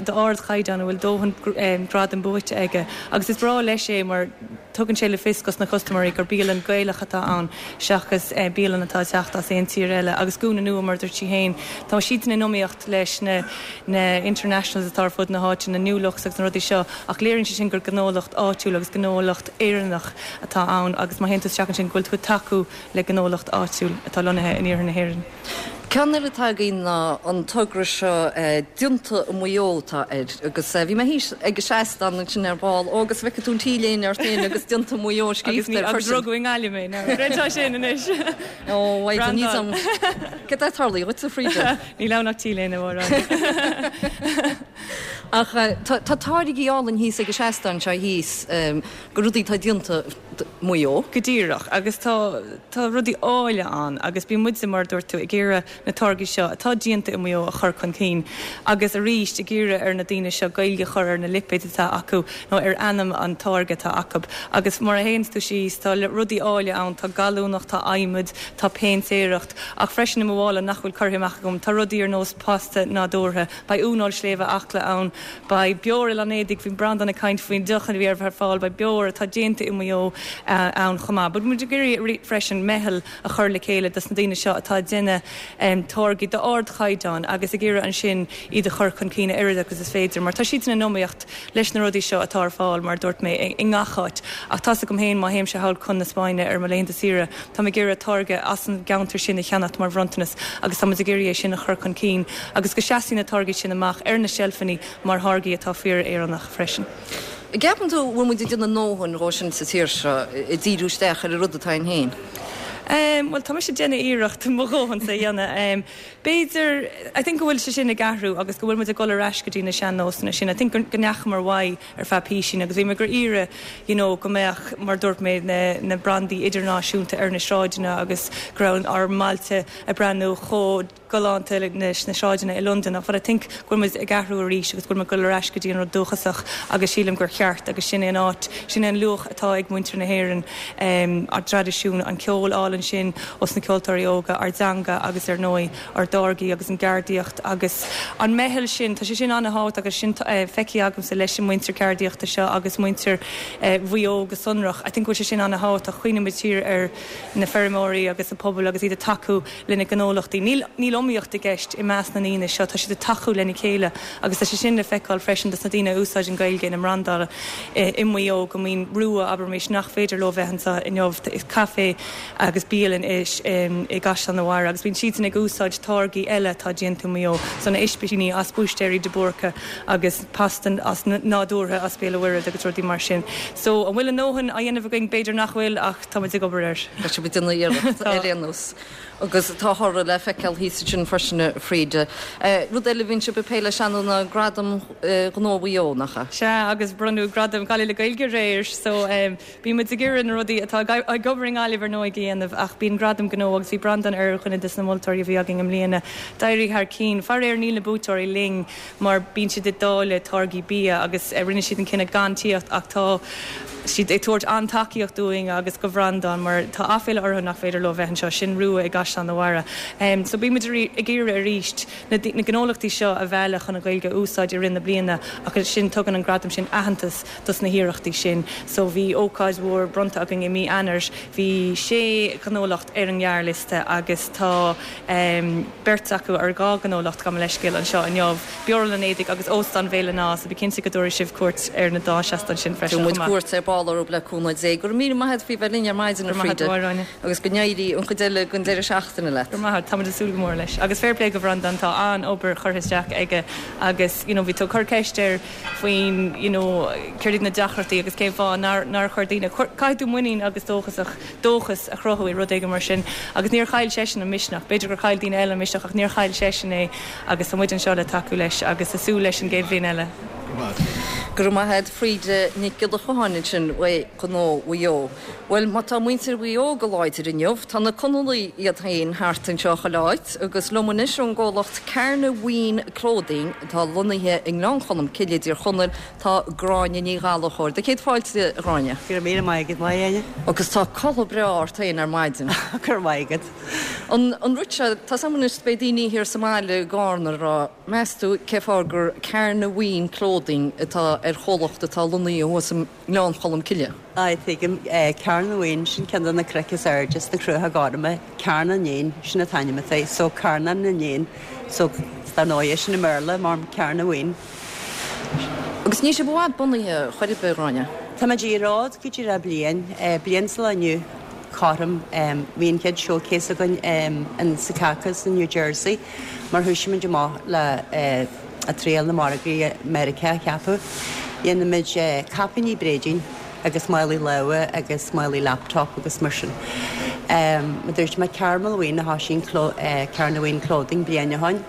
d'ardchaighdeán a bhfuil dóthain gradam buaite aige agus is breá leis é mar tugann sé le fios dos na custaiméirí gur bialann Gaelach atá ann seachas bialann atá ag teacht as aon tír eile. Agus Gúna Nua, mar a dúirt sí féin, tá siadsan in iomaíocht leis na na internationals atá ar fud na háite, na New Looks agus na rudaí seo, ach léiríonn sé sin gur gnólacht áitiúil agus gnólacht Éireannach atá ann agus má théann tú isteach ansin go bhfuil tú ag tacú le gnólacht áitiúil atá lonnaithe in iarthar na hÉireann. Ceann eile atá againn ná an togra seo Déanta i Maigh Eo atá air agus bhí mé thíos ag an seastán ansin ar ball, ó agus bhfeicfidh tú an T-léine ort féin agus Déanta i Maigh Eo scríofa air freisin. Agus rugadh i nGaillimh mé, now creidfeá sin anois. Ó, Brandáil. Céard a tharlaigh dhuit, a Frida? Níl ann ach T-léine, a Mháire. Ach tá táirgí álainn thíos ag an seastán seo thíos, go rudaí atá déanta. Mhaigh Eo. Go díreach, agus tá, tá rudaí áille ann agus bíonn muide, mar a dúirt tú, ag iarraidh na táirgí seo atá déanta i Maigh Eo a chur chun cinn agus arís ag iarraidh ar na daoine seo Gaeilge a chur ar na lipéid atá acu nó ar ainm an táirge atá acu. Agus mar a théanns tú síos tá rudaí áille ann, tá gallúnach, tá adhmad, tá péintéireacht ach freisin i mo mhála nach bhfuil curtha amach agam tá rudaí ar nós pasta nádúrtha, beidh uaineoil sléibhe Acla ann, beidh beoir Oileán Éadaigh, bhí Breandán ag caint faoin deoch a bhí ar fáil, beidh beoir atá déanta i Maigh Eo ann chomh maith. Beidh muid ag iarraidh freisin meitheal a chur le chéile dos na daoine seo atá ag déanamh táirgí d'ardchaighdeán agus ag iarraidh ansin iad a chur chun cinn a oiread agus is féidir mar tá siadsan in iomaíocht leis na rudaí seo atá ar fáil mar a dúirt mé i ngach áit ach tá's agam féin má théimse thall chun na Spáinne ar mo laethanta saoire táim ag iarraidh táirge as an gceantar sin a cheannacht mar bhronntanas agus tá muid ag iarraidh é sin a chur chun cinn agus go seasfaidh na táirgí sin amach ar na seilfeanna mar tháirgí atá fíor-Éireannach freisin. An gceapann tú bhfuil muid ag déanamh a ndóthain dhó sin sa tír seo, ag díriú isteach ar an rud atá againn féin? Bhuel, tá mise ag déanamh iarracht mo dhóthainsa a dhéanamh. B'fhéidir, I think go bhfuil sé sin ag athrú agus go bhfuil muid ag dul ar ais go dtí na sean-nósanna sin. I think go ndeachamar uaidh ar feadh písín agus bhí muid ag iarraidh you know go mbeadh, mar a dúirt mé, na, na brandaí idirnáisiúnta ar na sráideanna agus go raibh ár mbailte ag breathnú chomh galánta leis na sráideanna i Londain ach but I think go bhfuil muid ag athrú arís agus go bhfuil muid ag dul ar ais go dtí an rud dúchasach agus sílim gur cheart agus sin é an áit, sin é an luach atá ag muintir na hÉireann, ár dtraidisiún, an ceol álainn sin ós na ceoltóirí óga, ár dteanga agus ar ndóigh ár dtáirgí agus an gceardaíocht agus an meitheal sin, tá sé sin an-thábhachtach agus sin feicthe agamsa leis an muintir ceardaíochta seo agus muintir Mhaigh Eo go sonrach. I think go bhfuil sé sin an-thábhachtach, cuimhnímid siar ar na feirmeoirí agus an pobal agus iad ag tacú lena ngnólachtaí. Níl níl iomaíocht i gceist i measc na ndaoine seo, tá siad ag tacú lena chéile agus tá sé sin le feiceáil freisin dos na daoine a úsáideann Gaeilge ina mbrandáil i Maigh Eo go mbíonn Rua, abraimis, nach féidir leo bheith anseo inniu, caife agus bialann i i gCaisleán an Bharraigh agus bíonn siadsan ag úsáid táirgí eile atá déanta i Maigh Eo, so na ispíní as Búistéirí de Búrca agus pasta as nádúrtha as Béal an Mhuirthead agus rudaí mar sin. So an bhfuil a ndóthain á dhéanamh againn? B'fhéidir nach bhfuil ach tá muid ag obair air. Tá sibh ag déanamh iarracht ar aon nós. Agus tá toradh le feiceáil thíos ansin freisin, a Frida. Rud eile a bhíonn sibh ag plé leis ar ndóigh ná Gradam Gnó Mhaigh Eo, nach ea? Sea, agus bronnadh Gradam Gaillimh le Gaeilge aréir, so bíonn muid ag iarraidh na rudaí atá ag obair i nGaillimh ar ndóigh a dhéanamh ach bíonn Gradam Gnó agus bhí Breandán ar dhuine des na moltóirí a bhí againn i mbliana. D'éirigh thar cinn. Faraor níl na buaiteoirí linn mar bíonn siad ag dáileadh táirgí bia agus rinne siad an cinneadh gan tíocht ach tá siad ag tabhairt an-tacaíocht dúinn agus do Bhreandán mar tá aiféala orthu nach féidir leo bheith anseo, sin Rua i gCaisleán an Bharraigh. So bíonn muid ag iarraidh arís na gnólachtaí seo a mhealladh chun an Ghaeilge a úsáid i rith na bliana ach ansin tugann an gradam sin aitheantas dos na hiarrachtaí sin. So bhí ócáid mhór bronnta againn i mí Eanáir, bhí sé ghnólacht ar an ngearrliosta agus tá beirt acu, ar dhá ghnólacht, gabh mo leithscéal, anseo inniu, Beoir Oileán Éadaigh agus Óstán Bhéal an Átha, so bí cinnte go dtabharfaidh sibh cuairt ar na dá seastán sin freisin chomh maith. Tabharfaidh muid cuairt ar ball orthu le cúnamh Dé. Go raibh míle maith agat faoi bheith linn ar maidin, a Frida, agus go n-éirí an chuid eile den deireadh seachtaine leat. Go raibh maith agat, táimid ag súil go mór leis. Agus fair play do Bhreandán, tá an-obair curtha isteach aige agus you know bhí tú ag cur ceist air faoin you know céard iad na deacrachtaí agus cén fáth nár nár chuir daoine, caithfidh tú muinín agus dóchasach dóchas a chruthú i rud éigin mar sin agus níor chaill seisean an misneach. B'fhéidir gur chaill daoine eile an misneach ach níor chaill seisean é agus tá muid anseo le tacú leis agus ag súil leis an gcéad bhliain eile. Go raibh maith agat Frida Nic Giolla Chomhaill ansin uaidh Gnó Mhaigh Eo. Bhuel má tá muintir Mhaigh Eo go láidir inniu, tá na Conallaigh iad féin thart anseo chuile áit agus liom anois ón gcomhlacht Carnabheen Clothing atá lonnaithe i nGleann Cholm Cille i dTír Chonaill, Tá Gráinne Ní Ghallchóir. Do chéad fáilte, a Ghráinne. Go raibh míle maith agat, maith Áine. Agus tá culaith breá ort féin ar maidin. Go raibh maith agat. An an rud seo, tá 's agam anois beidh daoine thiar sa mbaile i gCarna ag rá, meas tú cé fáth gur Carnabheen Clothing atá ar chomhlacht atá lonnaithe thuas i nGleann Cholm Cille? Aye, tuigim. Carnabheen, sin ceann de na cnoic is airde sna Cruacha Gorma. Carn an Éin, sin an t-ainm atá air. So, Carnán na nÉan. So, dar ndóigh, sin i mBéarla mar Carnabheen. Agus níl sibh i bhfad bunaithe chor ar bith, a Ghráinne. Táimid ar an fhód go díreach bliain, bliain sa lá inniu, cothrom. Bhí an chéad showcase againn in Secaucus in New Jersey mar thoisigh muid amach le ag triail na margaí Meiriceá a cheapadh. Dhéanaimid caipíní bréidín agus málaí láimhe agus málaí laptop agus mar sin. Mar dúirt mé Carmel Ween a thoisigh an Carnabheen Clothing bliain ó shoin.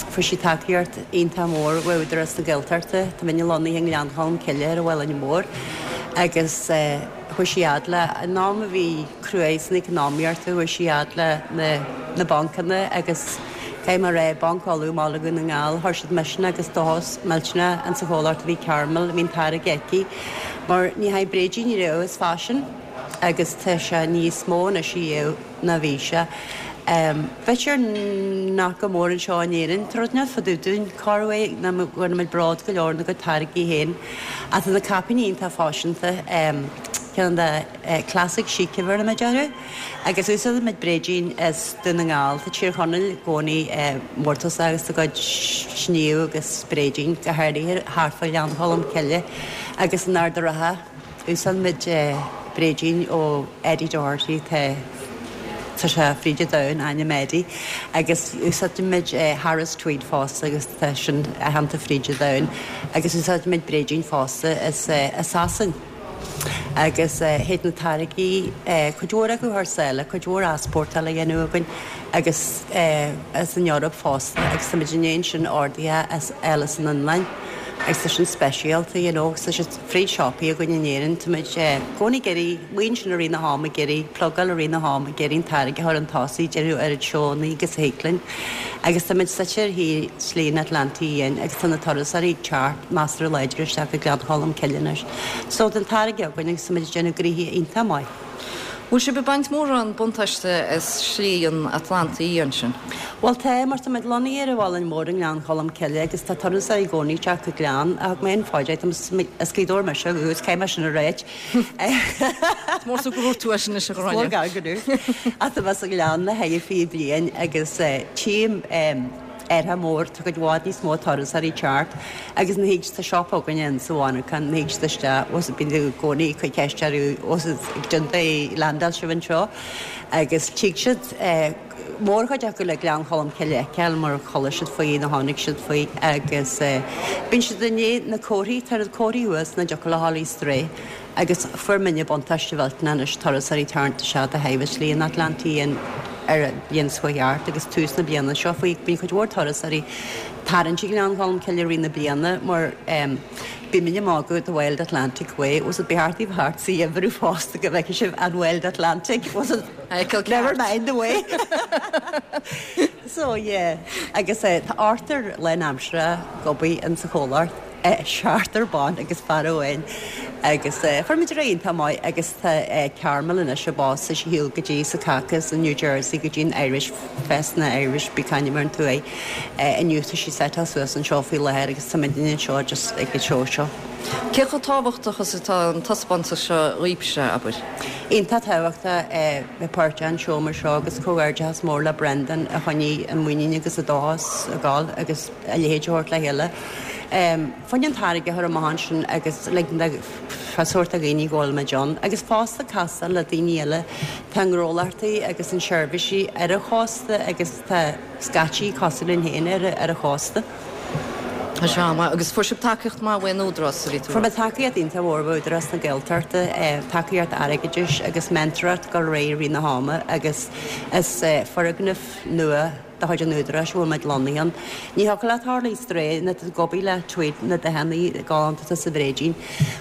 Fuair sí tacaíocht iontach mór ó Údarás na Gaeltachta, tá muidne lonnaithe i nGleann Cholm Cille ar an Mhuileann Mór, agus. Chuaigh sí fhad le, in am a bhí cruaidh san economaíocht, chuaigh sí fhad le na na bancanna agus caithfidh mé a rá, Banc Uladh i mBaile Dhún na nGall, chuir siad misneach agus dóchas millteanach insa chomhlacht a bhí Carmel, a bhí an táirge aici, mar ní haghaidh bréidín riamh is faisean agus tá sé níos mó anois a dhéanamh ná bhí sé. B'fhéidir nach go mór anseo in Éirinn, tá rud inteacht fá dtaobh dúinn, corruair nach bhfuil muid bród go leor ina gcuid táirgí féin. Ach tá na caipíní iontach faiseanta, ceann de classic chic a bheireann muid orthu. Agus úsáideann muid bréidín as Dún na nGall, tá Tír Chonaill i gcónaí mórtasach as a gcuid sníomh agus bréidín, go háirithe thart fá Ghleann Cholm Cille agus in Ard a' Rátha. Úsáideann muid bréidín ó Eddie Doherty, tá tá sé fríd an domhan, ainm Eddie, agus úsáideann muid Harris Tweed fosta agus tá sin aitheanta fríd an domhan, agus úsáideann muid bréidín fosta as as Sasain. Agus théid na táirgí, cuid mhór acu thar sáile, cuid mhór easpórtáil á dhéanamh againn agus as an Eoraip fosta agus tá muid i ndiaidh ansin orduithe as eile as an Fhionlainn agus tá sin speisialta, you know, agus tá siad fríd siopaí againn in Éirinn, tá muid i gcónaí ag iarraidh, maoin sin i rith na ham ag iarraidh, plugáil i rith na ham ag iarraidh an táirge a chur chun tosaigh, déanamh oiread seónna agus a thig linn. Agus tá muid suite ar thaobh Slí an Atlantaigh Fhiáin agus tá na turasóirí ag teacht measartha láidir isteach go Gleann Cholm Cille anois. So tá an táirge againn agus tá muid ag déanamh gnoithe iontach maith. Bhfuil sibh ag baint mórán buntáiste as Slí an Atlantaigh Fhiáin sin? Bhuel tá, mar tá muid lonnaithe ar an Mhuileann Mór i nGleann Cholm Cille agus tá turasóirí i gcónaí ag teacht go Gleann. Ach thug mé an fáilte, as Gaoth Dobhair mise ó dhúchas, caithfidh mé sin a ráit. Is mór go dúirt tú é sin anois a Ghráinne. Is mór gar go dúirt. Ach tá mé sa Ghleann le haghaidh 20 bliain agus tchím athrú mór, tá cuid mhaith níos mó turasóirí ag teacht agus nuair a thig tá siopa againne in sa mhonarchan, nuair a thig siad isteach, bhfuil bíonn i gcónaí ag cur ceist orthu bhfuil ag déanamh landáil sibh anseo agus tig siad mórchuid acu le Gleann Cholm Cille a fheiceáil mar chuala siad faoi nó chonaic siad faoi agus bíonn siad i ndiaidh na comharthaí, tá na comharthaí thuas nach dtiocfadh leo a dhul astray agus fuair muidne buntáiste mhillteanach anois turasóirí ag tarraingt isteach de thaobh Shlí an Atlantaigh Fhiáin ar an bhliain seo chuaigh thart agus tús na bliana seo faoi bíonn cuid mhór turasóirí tarraingt ag Gleann Cholm Cille i rith na bliana mar bíonn muid ag magadh the Wild Atlantic Way was it ba cheart daoibh theacht sa gheimhreadh fosta go bhfeicfidh sibh an Wild Atlantic was it Never mind the way. So yeah. Agus tá ochtar lánaimseartha ag obair in sa chomhlacht, seachtar ban agus fear amháin. Agus fuair muid ar aghaidh iontach maith agus tá Carmel anois ag boss is shiúl go dtí Secaucus in New Jersey go dtí an Irish Fest na Irish bí c'ainm ar an tuaith. Inniu tá sí seiteáil suas anseo faoi láthair agus tá muidne anseo just ag an seó seo. Cé chomh tábhachtach is atá an taispeántas seo dhaoibhse, abair? Iontach tábhachtach é bheith páirteach in seó mar seo agus comhghairdeachas mór le Brendan a choinnigh an muinín agus an dóchas ag gabháil agus a leithéid a thabhairt le chéile. Fá choinne an táirge a chur amach ansin agus ligint do sórt de dhaoine go bhfuil muid ann agus fosta castáil le daoine eile. Tá gnólachtaí agus an seirbhísí ar an chósta agus tá scaití cosúil linn féin ar an chósta. Tá sé an-mhaith. Agus fuair sibh tacaíocht maith uaidh an Údarás, a bhí tú a Fuair muid tacaíocht iontach mhór ó Údarás na Gaeltachta, tacaíocht airgeadais agus mentoreacht ag dul ar aghaidh i rith na hama agus is foirgneamh nua de chuid an Údaráis a bhfuil muid lonnaithe ann. Ní thiocfadh leat tarlú astray nuair atá tú ag obair le tweed na dathanna galánta atá sa bhréidín.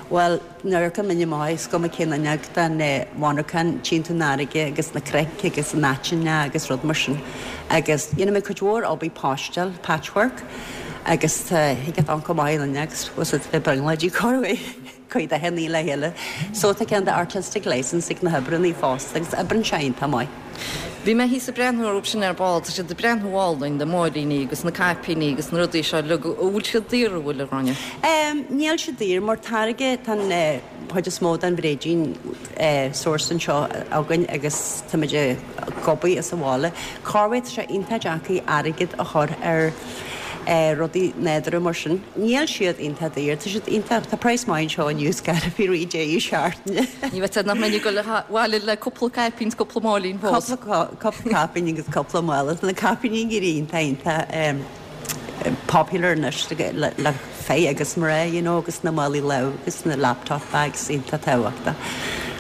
Bhuel, Nuair a amharcann muid amach is cuma cén fhuinneog den mhonarchan, tchíonn tú an fharraige agus na cnoic agus an aiteann agus rud mar sin. Agus dhéanann muid cuid mhór obair paistéal, patchwork, agus tá thig leat amharc amach an fhuinneog is bhfuil siad ag brionglóidí corruair cuid dathanna le chéile. So tá cineál de artistic licence ag na hoibreanna fosta agus oibreann sé iontach maith. Bhí mé thíos ag breathnú orthu sin ar ball, tá siad ag breathnú álainn, na máilíní agus na caipíní agus na rudaí seo uilig, an bhfuil siad daor, an bhfuil, a Ghráinne? Níl siad daor mar táirge, tá an chuid is mó den bhréidín sourced anseo againn agus táimid ag obair as an bhaile. Corruair tá sé iontach deacair airgead a chur ar rudaí nádúrtha mar sin. Níl siad iontach daor, tá siad iontach, tá praghas maith anseo inniu is gairid faoi rith deireadh seachtaine. Ní bheadh nach mbeinn ag dul abhaile le cúpla caipín is cúpla máilín fós. Cúpla cúpla caipín agus cúpla mála. Tá na caipíní ag éirí iontach iontach popular anois le le fir agus mná you know agus na málaí láimhe agus na laptop bags iontach tábhachtach.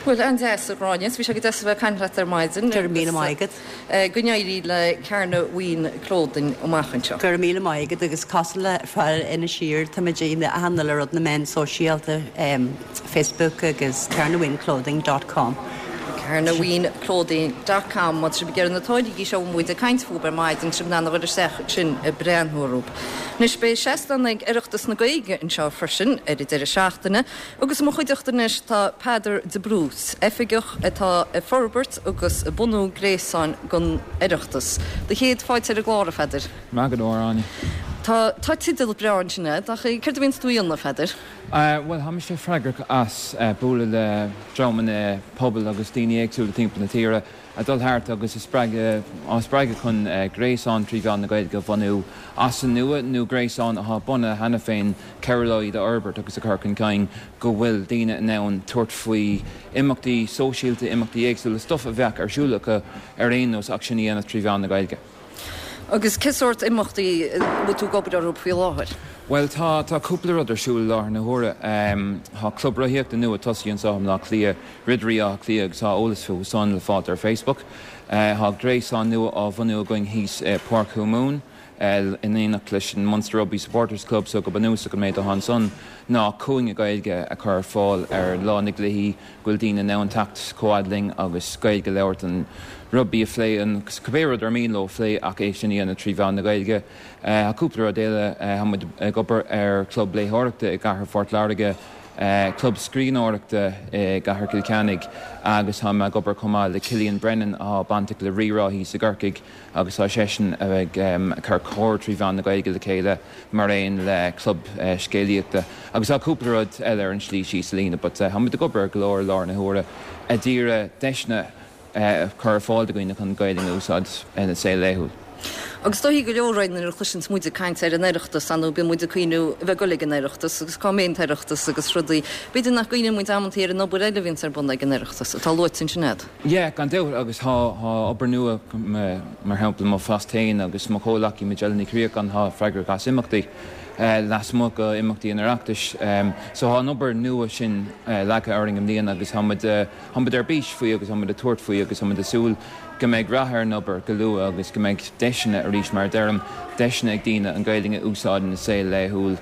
Bhuel, an-deas, a Ghráinne. Bhí sé go deas a bheith ag caint leat ar maidin. Go raibh míle maith agat. Go n-éirí le Carnabhaoin Clothing amach anseo. Go raibh míle maith agat agus cosúil le fear Inis Oírr, táimid ag achan uile rud na meáin sóisialta, Facebook agus carnabhaoinclothing dot com. Carnabhaoinclothing dot com Má tá sibh ag iarraidh na táirgí seo a bhfuil muid ag caint fúthu ar maidin, tá sibh in ann a dhul isteach ansin ag breathnú orthu. Anois beidh seastán ag Oireachtas na Gaeilge anseo freisin ar an deireadh seachtaine. Agus i mo chuideachta anois tá Peadar de Brús, oifigeach atá ag forbairt agus ag bunú gréasáin don Oireachtas. Do chéad fáilte ar an gclár, a Pheadair. Maith go leor, Áine. Tá, tá teideal breá ansin agat, ach céard a bhíonns tú a dhéanamh, a Pheadair? Bhuel, tá mise freagrach as bualadh le dreamanna pobail agus daoine éagsúla timpeall na tíre, ag dul thart agus a spreagadh, á spreagadh chun gréasán trí mheán na Gaeilge a bhunú as an nua nó gréasán atá bunaithe cheana féin, cabhrú leo iad a fhorbairt agus a chur chun cinn, go bhfuil daoine in ann tabhairt faoi imeachtaí sóisialta, imeachtaí éagsúla, stuff a bheadh ar siúl acu ar aon nós ach sin a dhéanamh trí mheán na Gaeilge. Agus cé sórt imeachtaí a bhfuil tú ag obair orthu faoi láthair? Bhuel, tá, tá cúpla rud ar siúl i láthair na huaire. Tá club rothaíochta nua tosaithe anseo i mBleá Cliath, Ridirí Átha Cliath agus tá eolas fúthu san le fáilt ar Facebook. Tá gréasán nua á bhunú againn thíos i Páirc Thuamumhan in éineacht leis an Munster Rugby Supporters Club so go bunúsach an méid atá ansan ná cúinne Gaeilge a chur ar fáil ar lá na gcluichí go bhfuil daoine in ann teacht chomh fhad linn agus Gaeilge a labhairt, an rugbaí a phlé, an cibé rud ar mian leo a phlé ach é sin a dhéanamh trí mheán na Gaeilge. Tá cúpla rud eile, tá muid ag obair ar chlub léitheoireachta i gcathair Phort Láirge, club scríbhneoireachta i gcathair Chill Chainnigh agus tá mé ag obair chomh maith le Cillian Brennan atá bainteach le Rí-Rá thíos i gCorcaigh agus tá seisean ag cur cór trí mheán na Gaeilge le chéile mar aon le club scéalaíochta agus tá cúpla rud eile ar an slí síos an líne but tá muid ag obair ar go leor i láthair na huaire a d'iarraidh deiseanna a chur ar fáil do dhaoine chun Gaeilge a úsáid ina saol laethúil. Agus is dóichí go leor againn nuair a chloiseanns muid ag caint ar an Oireachtas, ar ndóigh bíonn muid ag cuimhniú a bheith ag goil ag an Oireachtas agus cá mbeidh an tOireachtas agus rudaí. B'fhéidir nach gcuimhníonn muid amantaí ar an obair eile a bhíonns ar bun ag an Oireachtas, atá luaite ansin agat. Yeah, gan dabht, agus tá obair nua, mar shampla mo phost féin agus mo chomhleacaí Majella Ní Chríocháin atá freagrach as imeachtaí lasmuigh de imeachtaí an Oireachtais. So tá an obair nua sin leagtha orainn i mbliana agus tá muid, Tá muid ar bís faoi agus tá muid ag tabhairt faoi agus tá muid ag súil go mbeidh rath ar an obair go luath agus go mbeidh deiseanna, arís mar a deirim, deiseanna ag daoine an Ghaeilge a úsáid ina saol laethúil.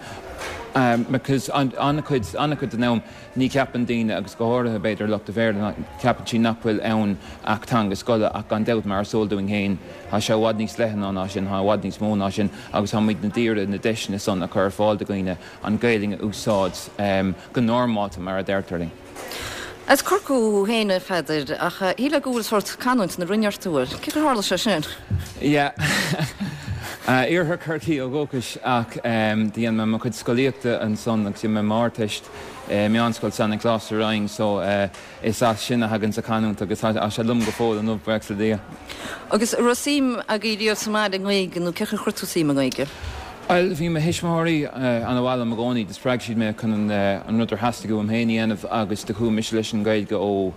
Because an-chuid, an-chuid den am ní cheapann daoine agus go háirithe b'fhéidir lucht an Bhéarla, ceapann siad nach bhfuil ann ach teanga scoile ach gan dabht mar is eol dúinn féin tá sé i bhfad níos leithne ná sin, tá i bhfad níos mó ná sin agus tá muid d'iarraidh na deiseanna san a chur ar fáil do dhaoine an Ghaeilge a úsáid go normálta mar a deirtear linn. As Corcaigh thú féin, a Pheadair, ach shílfeá go bhfuil sórt canúint na Rinne ort, an bhfuil? Cén chaoi ar tharla sé sin? Yeah. Iarthar Chorcaí ó dhúchas ach do dhein mé mo chuid scolaíochta ansan agus dhein mé m'Ardteist i Meánscoil San Nioclás sa Rinn so is as sin a thaganns an chanúint agus tá sé liom go fóill inniu, buíochas le Dia. Agus an raibh suim agaibh riamh sa mbaile i nGaeilge nó cén chaoi ar chuir tú suim i nGaeilge? Bhuel, bhí mo thuismitheoirí ana-mhaith liom i gcónaí, do spreag siad mé chun an rud ar theastaigh uaim féin a dhéanamh agus do chuaigh mise leis an Ghaeilge ó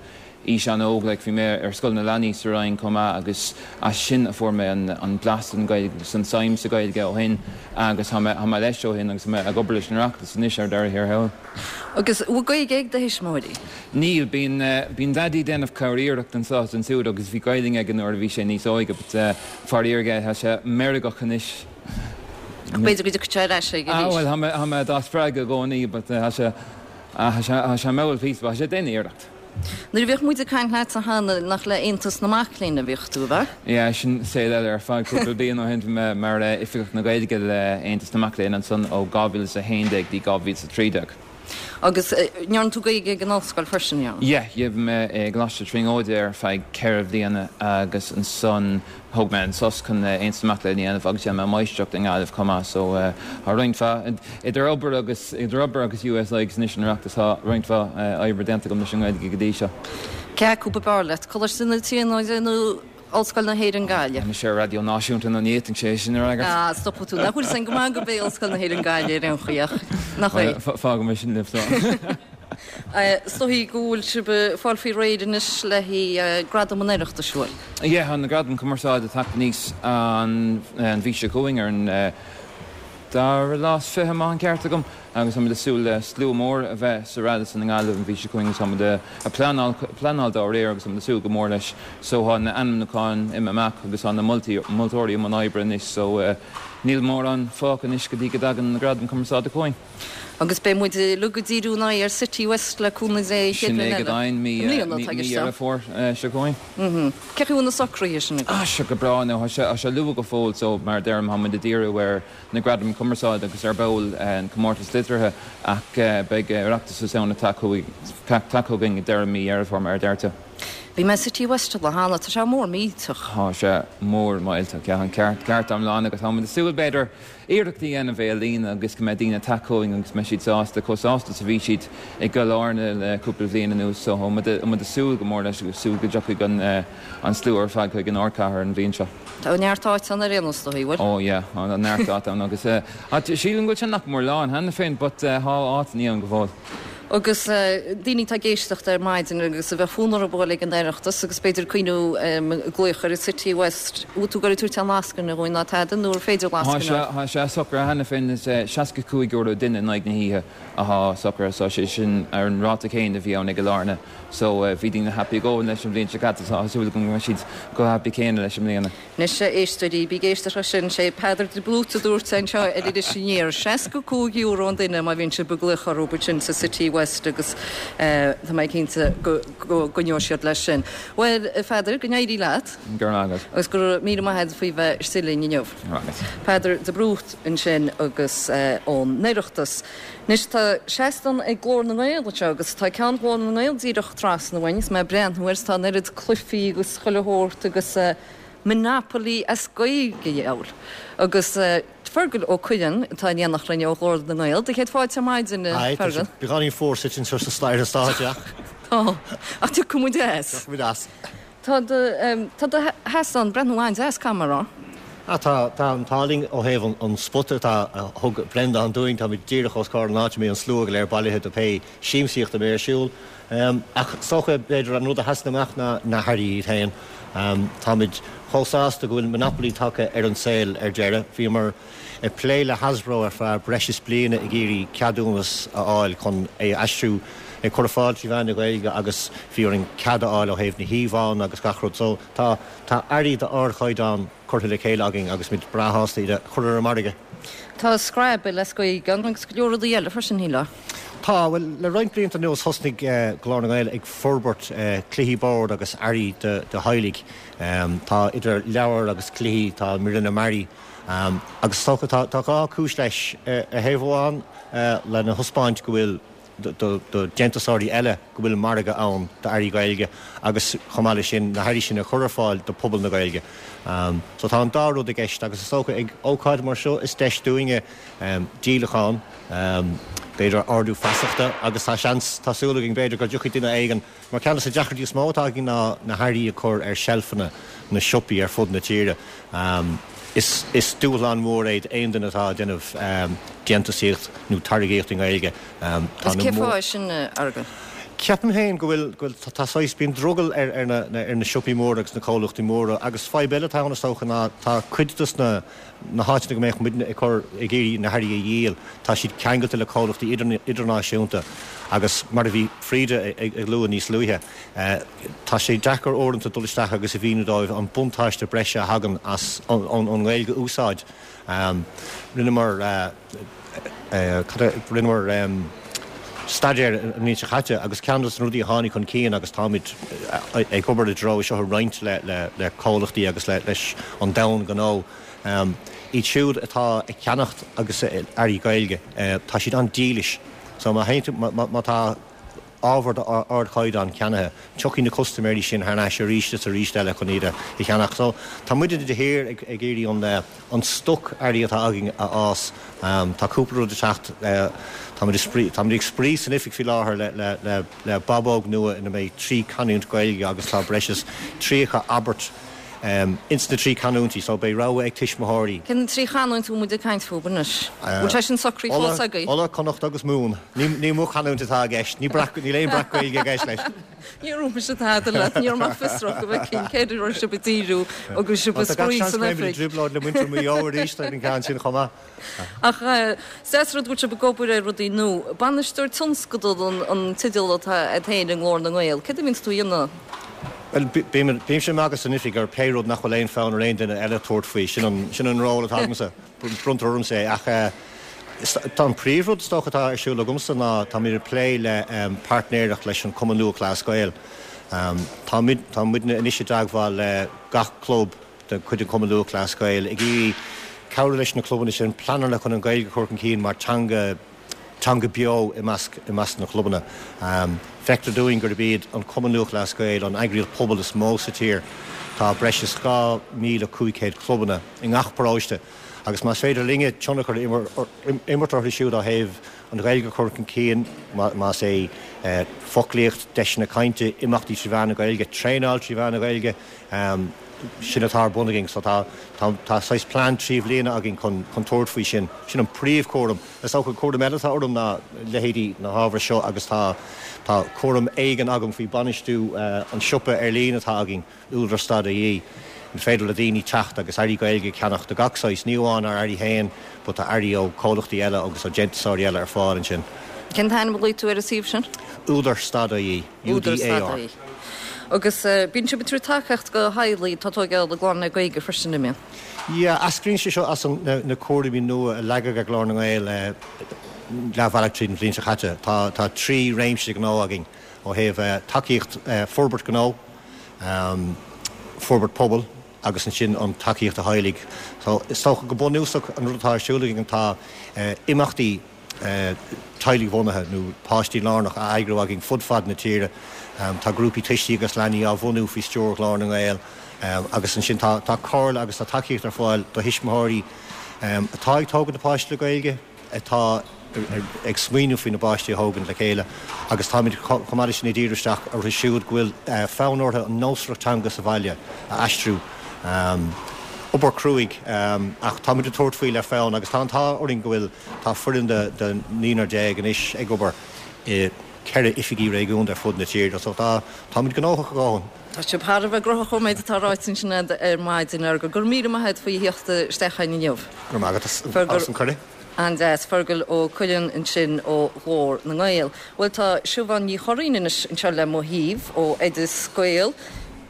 aois an-óg, like bhí mé ar Scoil na Leanaí sa Rinn chomh maith agus as sin a fuair mé an blas den Ghaeilge agus an tsuim sa Ghaeilge ó shin agus tá mé, tá mé leis ó shin agus tá mé ag obair leis an Oireachtas anois ar deireadh thiar thall. Agus an bhfuil Gaeilge ag do thuismitheoirí? Níl, bíonn, bíonn Daidí ag déanamh corr-iarracht anso is ansúd agus bhí Gaeilge aige nuair a bhí sé níos óige but faraor aige tá sé meirgeach anois. Ach b'fhéidir go dtiocfaidh sé ar ais arís. Ah bhuel, tá mé, tá mé dá spreagadh i gcónaí but tá sé, tá sé, tá sé mall píosa but tá sé ag déanamh iarracht. Nuair a bhíodh muid ag caint leatsa cheana, nach le Aontas na Mac Léinn a bhíodh tú, ab ea? Yeah, sin saol eile ar fad. Cúpla bliain ó shin bhí mé mar Oifigeach na Gaeilge le Aontas na Mac Léinn ansan ó 2011 dtí 2013. Agus ndearna tú Gaeilge ag an ollscoil freisin, ndearna? Yeah, yeah, bhí mé i gColáiste Tríonóide ar feadh ceithre bhliana agus ansan Thóg mé an sos chun Aontas na Mac Léinn a dhéanamh agus dhein mé máistreacht i nGaillimh chomh maith so tá roinnt mhaith, idir obair agus, idir obair agus USI agus anois an Oireachtas, tá roinnt mhaith oibre déanta agam leis an nGaeilge go dtí seo. Cé acu ab fhearr leat, Coláiste na Tríonóide nó Ollscoil na hÉireann Gaillimh? Tá mise ar raidió náisiúnta nó ní fhéadfainnse é sin a fhreagairt. Ah, stopfaidh tú. Nach bhfuil sin go maith gurb é Ollscoil na hÉireann Gaillimh ar aon chaoi ach nach é? Fágfaidh mé sin libh so. Is dóichí go bhfuil sibh ag fáil faoi réir anois le haghaidh Gradam an Oireachtais, bhfuil? Yeah, tá na Gradaim Cumarsáide ag teacht aníos an mhí seo chugainn ar an. dara lá is 20 má tá an ceart agam agus táimid ag súil le slua mór a bheith sa Radisson i nGaillimh an mhí seo chugainn agus táimid ag pleanáil pleanáil dá réir agus táimid ag súil go mór leis so tá na ainmniúcháin imithe amach agus tá na moltaí moltóirí i mbun oibre anois so níl mórán fágtha anois go dtí go dtagann na Gradaim Cumarsáide chugainn. Agus beidh muid uilig ag díriú ár n-aghaidh ar Citywest le cúnamh Dé an chéad Sin é go deimhin, mí Dheireadh Fómhair seo chugainn. Cén chaoi a bhfuil na socruithe sin agaibh? Ah, sé go breá now, tá sé luath go fóill so mar a deirim tá muid ag díriú ar na Gradaim Cumarsáide agus ar ball an Comórtas Liteartha ach beidh Oireachtas na Samhna tagtha chugainn ag deireadh mí Dheireadh Fómhair mar a deir tú. Bhí mé i Citywest an lá cheana, tá sé mór millteach. Tá sé mór millteach, yeah, an ceart ceart iomlán agus tá muid ag súil b'fhéidir iarracht a dhéanamh é a líonadh agus go mbeidh daoine ag teacht chugainn agus go mbeidh siad sásta, chomh sásta is a bhí siad i gCill Airne le cúpla bhliain anuas. So tá muid ag súil go mór leis agus súil go dtiocfaidh an slua ar fad chuig an ardchathair an bhliain seo. Tá neart áit ann ar aon nós, dóigh, bhfuil? Oh yeah, tá neart áit ann agus sílim go bhfuil sé nach mór lán cheana féin but tá áiteanna ann go fóill. Agus daoine atá ag éisteacht ar maidin agus a bheadh fonn orthu a dhul ag an Oireachtas agus b'fhéidir cuimhniú glaoch ar an Citywest, bhfuil tú ag goil ag tabhairt aon lascaine dhúinn ná tada nó ar féidir lascaine a fháil? Tá sé socraithe cheana féin, is €65 duine in aghaidh na hoíche athá socraithe so sé sin ar an ráta céanna a bhí ann i gCill Airne so bhí daoine happy a dhóthain leis an bhliain seo caite so tá súil agam go mbeidh siad chomh happy céanna leis i mbliana. Anois, a éisteoirí, bí ag éisteacht leis sin, sé Peadar de Blúit a dúirt anseo ar Iris Aniar, €65 an duine má bhíonn sibh ag glaoch orthu ansin sa Citywest agus tá mé cinnte go gcoinneoidh siad leis sin. Bhuel, a Pheadair, go n-éirí leat. Go raibh maith agat. Agus go raibh míle maith agat faoi bheith istigh linn inniu. Go raibh maith agat. Peadar de Brún ansin agus ón Oireachtas. Anois tá seastán ag Glór na nGael anseo agus tá ceann Ghlór na nGael díreach trasna uainn agus mé ag breathnú air is tá an oiread cluichí agus chuile shórt agus Monopoly as Gaeilge a dheabhail. Agus Fergal Ó Cuirreáin atá in éineacht linn ó Ghlór na nGael. Do chéad fáilte ar maidin, a Hi, tá sé Fergal. beagáinín fuar suite anseo sa ar an stáitse ach. Tá, ach tiocfaidh muid as. Tiocfaidh muid as. Tá do, tá do sheastán ag breathnú an-deas, caithfidh mé a rá. Ah, tá, tá an t-ádh linn ó thaobh an spota atá, a thug Breandán dúinn, táimid díreach os comhair an áit a mbíonn an slua go léir bailithe do pé siamsaíocht a bheidh ar siúl. Ach is dócha, b'fhéidir, an rud a sheasann amach ná na hearraí iad féin. Táimid chomh sásta go bhfuil Monopoly tagtha ar an saol ar deireadh. Bhíomar ag plé le Hasbro ar feadh breis is bliana ag iarraidh ceadúnas a fháil chun é a aistriú, é a chur ar fáil trí mheán na Gaeilge agus bhí orainn cead a fháil ó thaobh na híomhánna agus gach rud. So tá tá earraí d'ardchaighdeán curtha le chéile againn agus muid breá shásta iad a chur ar an margadh. Tá Scrabble as Gaeilge ann agus go leor rudaí eile freisin, shílfeá. Tá, bhuel, le roinnt blianta anuas thosnaigh Glór na nGael ag forbairt cluichí boird agus earraí do theaghlaigh. Tá idir leabhair agus cluichí, tá míreanna mearaí. Agus is dócha, tá dhá chúis leis. Ar thaobh amháin, lena thaispeáint go bhfuil, do dhéantúsóirí eile, go bhfuil margadh ann d'earraí Gaeilge agus chomh maith leis sin, na hearraí sin a chur ar fáil do phobal na Gaeilge. So tá an dá rud i gceist agus is dócha ag ócáid mar seo is deis dúinne díolachán, b'fhéidir ardú feasachta agus tá seans, tá súil againn b'fhéidir go dtiocfaidh duine éigin Mar ceann de na deacrachtaí is mó atá againn ná na hearraí a chur ar seilfeanna na siopaí ar fud na tíre. Is dúshlán mór é d'aon duine atá ag déanamh déantúsaíocht nó táirgíocht i nGaeilge. Tá na. Cén fáth é sin, a Fheargail? Ceapaim féin go bhfuil, go bhfuil, tá saghas, bíonn drogall ar ar na ar na siopaí móra agus na comhlachtaí móra agus fadhb eile atá ann is dócha ná tá cuid dos na na háiteanna go mbeadh muidne ag cur, ag iarraidh na hearraí a dhíol, tá siad ceangailte le comhlachtaí idirnáisiúnta agus mar a bhí Frida ag lua níos luaithe, tá sé deacair uaireanta dul isteach agus a mhíniú dóibh an buntáiste breise a thagann as an nGaeilge a úsáid. Rinneamar. Rinneamar staidéar an bhliain seo caite agus ceann de na rudaí a tháinig chun cinn agus táimid ag obair i dtreo seo a roinnt le comhlachtaí agus leis an domhan gnó, iad siúd atá ag ceannacht agus earraí Gaeilge, tá siad an-dílis. So má théann tú, má tá ábhar d'ardchaighdeán ceannaithe, tiocfaidh na custaiméirí sin thar n-ais arís is arís eile chun iad a cheannach. So, tá muide de shíor ag iarraidh an stoc earraí atá againn a fhás. Tá cúpla rud ag teacht. Táimid ag spraoi, táimid ag spraoi san oifig faoi láthair le le babóg nua ina mbeidh 3 canúint Gaeilge agus tá breis is 30 abairt. Ins na 3 canúintí, so beidh rogha ag tuismitheoirí. Cé na 3 chanúint a bhfuil muid ag caint fúthu anois? Bhfuil sé sin socraithe fós agaibh? Uladh, Connacht agus Mumhan. Ní mo chanúint atá i gceist. Ní breac, níl aon breac-Ghaeilge i gceist leis. Ní raibh mise tada leat, ní raibh mé fiosrach go bhfeicfinn céard a raibh sibh ag díriú agus sibh ag Tá gach spraoi seans san go mbeimid i oifig. dtrioblóid le muintir Mhaigh Eo arís ar an gceann sin chomh maith. Ach is deas an rud go bhfuil sibh ag obair ar rudaí nua. Bainisteoir tionscadal an teideal atá agat féin i nGlór na nGael. Céard a bhíonns tú a dhéanamh? Bhuel, bímse ag magadh san oifig ar pé rud nach bhfuil aon fonn ar aon duine eile tabhairt faoi. Sin an, sin an ról atá agamsa. Bronntar ormsa é. Ach tá an príomhrud is dócha atá ar siúl agamsa ná táimid ag plé le páirtnéireacht leis an Cumann Lúthchleas Gael. Tá muid, tá muidne anois i dteagmháil le gach club de chuid an Chumann Lúthchleas Gael ag iarraidh cabhrú leis na clubanna sin pleananna chun an Ghaeilge a chur chun cinn mar teanga teanga beo i measc i measc na clubanna. Feictear dúinn gurb iad an Cumann Lúthchleas Gael an eagraíocht pobail is mó sa tír. Tá breis is 2,500 clubanna i ngach paróiste agus más féidir linne tionchar a imirt orthu siúd ó thaobh an Ghaeilge a chur chun cinn, más é foclaíocht, deiseanna cainte, imeachtaí trí mheán na Gaeilge, traenáil trí mheán na Gaeilge, sin atá ar bun againn. So tá tá saghas plean 3 bhliana againn chun chun tabhairt faoi sin. Sin an príomhchúram. Is dócha cúram eile atá orm ná leithéidí na hábhair seo agus tá tá cúram éigin agam faoi bainistiú an siopa ar líne atá againn, Údar stad ie. An féidir le daoine teacht agus earraí Gaeilge a cheannach de gach saghas, ní amháin ár earraí féin but tá earraí ó chomhlachtaí eile agus ó déantúsóirí eile ar fáil ansin. Cén t-ainm a ghlaoigh tú ar an suíomh sin? Údar stad ie. Údar stad ie. Agus bíonn sibh ag tabhairt tacaíocht do theaghlaigh atá ag tógáil a gclann le Gaeilge freisin, an mbíonn? Yeah, eascraíonn sé seo as na cúraimí nua a leagadh ar Ghlór na nGael leathbhealach tríd an bhliain seo caite. Tá tá 3 réimse gnó againn ó thaobh tacaíocht forbairt gnó, forbairt pobail agus ansin an tacaíocht do theaghlaigh. So is dócha go bunúsach an rud atá ar siúl againn tá imeachtaí teaghlaigh-bhunaithe nó páistí-lárnach á eagrú againn fud fad na tíre. Tá grúpaí tuistí agus leanaí á bhunú faoi stiúir Ghlór na nGael agus ansin tá tá comhairle agus tá tacaíocht ar fáil do thuismitheoirí atá ag tógaint a bpáistí le Gaeilge, atá ag smaoineamh faoina bpáistí a thógaint le chéile agus táimid chomh maith leis sin ag díriú isteach orthu siúd go bhfuil fonn orthu an nósmhaireacht teanga sa bhaile a aistriú. Obair chruaidh ach táimid ag tabhairt faoi le fonn agus tá an t-ádh orainn go bhfuil Tá foireann de naonúr anois ag obair i 4 oifigí réigiúnda ar fud na tíre so tá táimid gnóthach a dhóthain. Tá sibh thar a bheith gnóthach ón méid atá ráite ansin agat ar maidin, a Fheargail. Go raibh míle maith agat faoi theacht isteach chugainn inniu. Go raibh maith agat as an cuireadh. An-deas. Fergal Ó Cuilinn ansin ó Ghlór na nGael. Bhuel tá Siubhán Ní Churraoin anois anseo le mo thaobh ó Oideas Gael.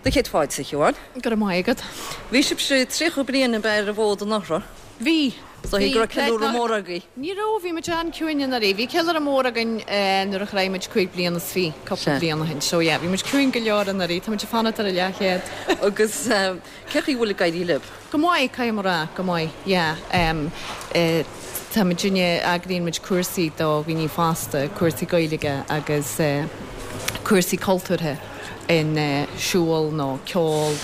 Do chéad fáilte, a Shiubháin. Go raibh maith agat. Bhí sibhse 30 bliain ab ea ar an bhfód anuraidh? Bhí. Is dóigh go raibh ceiliúradh mór agaibh. Ní raibh, bhí muid an-ciúin anuraidh. Bhí ceiliúradh mór againn nuair a shroich muid 25 bliana, cúpla bliain ó shin. So yeah, bhí muid ciúin go leor anuraidh. Tá muid ag fanacht ar an leathchéad. Agus cén chaoi a bhfuil ag éirí libh? Go maith, caithfidh mé a rá, go maith, yeah. Tá muidinne, eagraíonn muid cúrsaí do dhaoine fásta, cúrsaí Gaeilge agus cúrsaí cultúrtha. in siúl nó ceol,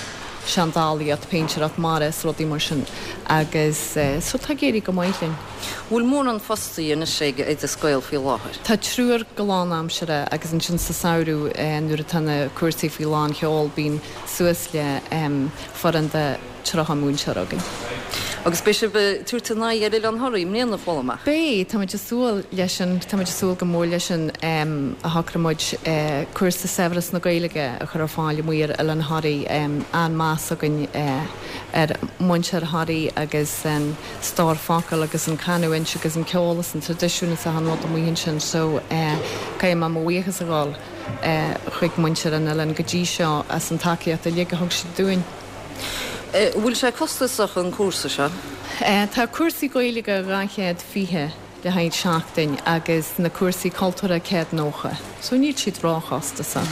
seandálaíocht, péintéireacht mara is rudaí mar sin agus so tá ag éirí go maith linn. Bhfuil mórán fostaithe anois ag Oideas Gael faoi láthair? Tá triúr go lánaimseartha agus ansin sa samhradh nuair atá na cúrsaí faoi lán sheol bíonn suas le foireann de 30 múinteoir againn. Agus beidh sibh ag tabhairt a n-aghaidh ar Oileán Thoraí i mbliana, chuala mé. Beidh, táimid ag súil leis sin, táimid ag súil go mór leis sin. A shocraigh muid cúrsa Saibhreas na Gaeilge a chur ar fáil amuigh ar Oileán Thoraí. An-mheas againn ar mhuintir Thoraí agus an stór focal agus an canúint agus an ceol is an traidisiún is achan rud amuigh ansin so caithfidh mé mo bhuíochas a ghabháil chuig muintir an oileáin go dtí seo as an tacaíocht uilig a thug siad dúinn. Bhfuil sé costasach an cúrsa seo? Tá cúrsaí Gaeilge 220 le haghaidh seachtain agus na cúrsaí cultúrtha 190. So níl siad róchostasach.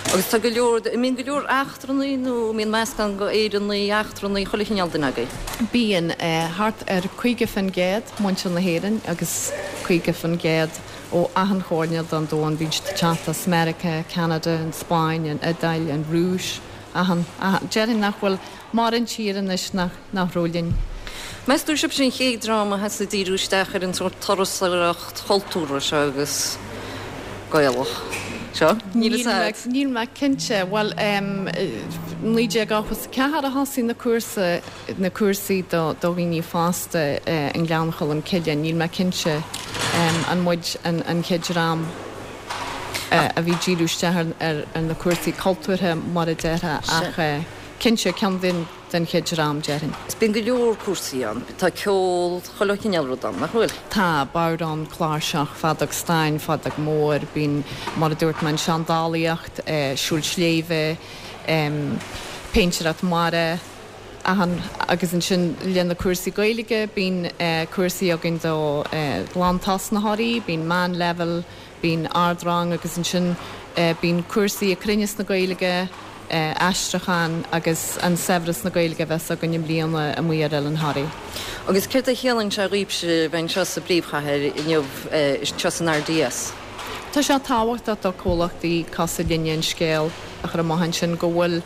Agus tá go leor, an mbíonn go leor eachtrannaigh nó an mbíonn meascán go Éireannaigh, eachtrannaigh, chuile chineál duine agaibh? Bíonn, thart ar 50% muintir na hÉireann agus 50% ó achan choirnéal den domhan. Bíonn siad ag teacht as Meiriceá, Ceanada, an Spáinn, an Iodáil, an Rúis. Achan, achan, déarfainn nach bhfuil mórán tír anois nach, nach raibh linn. Meas tú sibhse an chéad dream a thosaigh ag díriú isteach ar an sórt turasóireacht chultúrtha seo agus Gaelach seo? Níl fhios a'd. Níl mé cinnte. Bhuel, em, 1984 a thosaigh na cúrsa, na cúrsaí do dhaoine fásta i nGleann Cholm Cille. Níl mé cinnte an muid an chéad dream a bhí ag díriú isteach ar na cúrsaí cultúrtha mar a déarfá ach cinnte ceann den den chéad dream, déarfainn. Is bíonn go leor cúrsaí ann. Tá ceol, chuile chineál rud ann, nach bhfuil? Tá, bodhrán, cláirseach, feadóg stáin, feadóg mór, bíonn, mar a dúirt mé, an seandálaíocht, siúl sléibhe, péintéireacht mara, achan, agus ansin le na cúrsaí Gaeilge, bíonn cúrsaí againn do ghlantosnaitheoirí, bíonn meánleibhéal, Bíonn ardrang agus ansin bíonn cúrsaí ag Cruinneas na Gaeilge, aistriúchán agus an saibhreas na Gaeilge a bheas againn i mbliana amuigh ar Oileán Thoraí. Agus céard a chiallaíonn sé dhaoibhse a bheith anseo sa bpríomhchathair inniu, anseo san RDS? Tá sé tábhachtach do comhlachtaí cosúil linne an scéal a chur amach ansin go bhfuil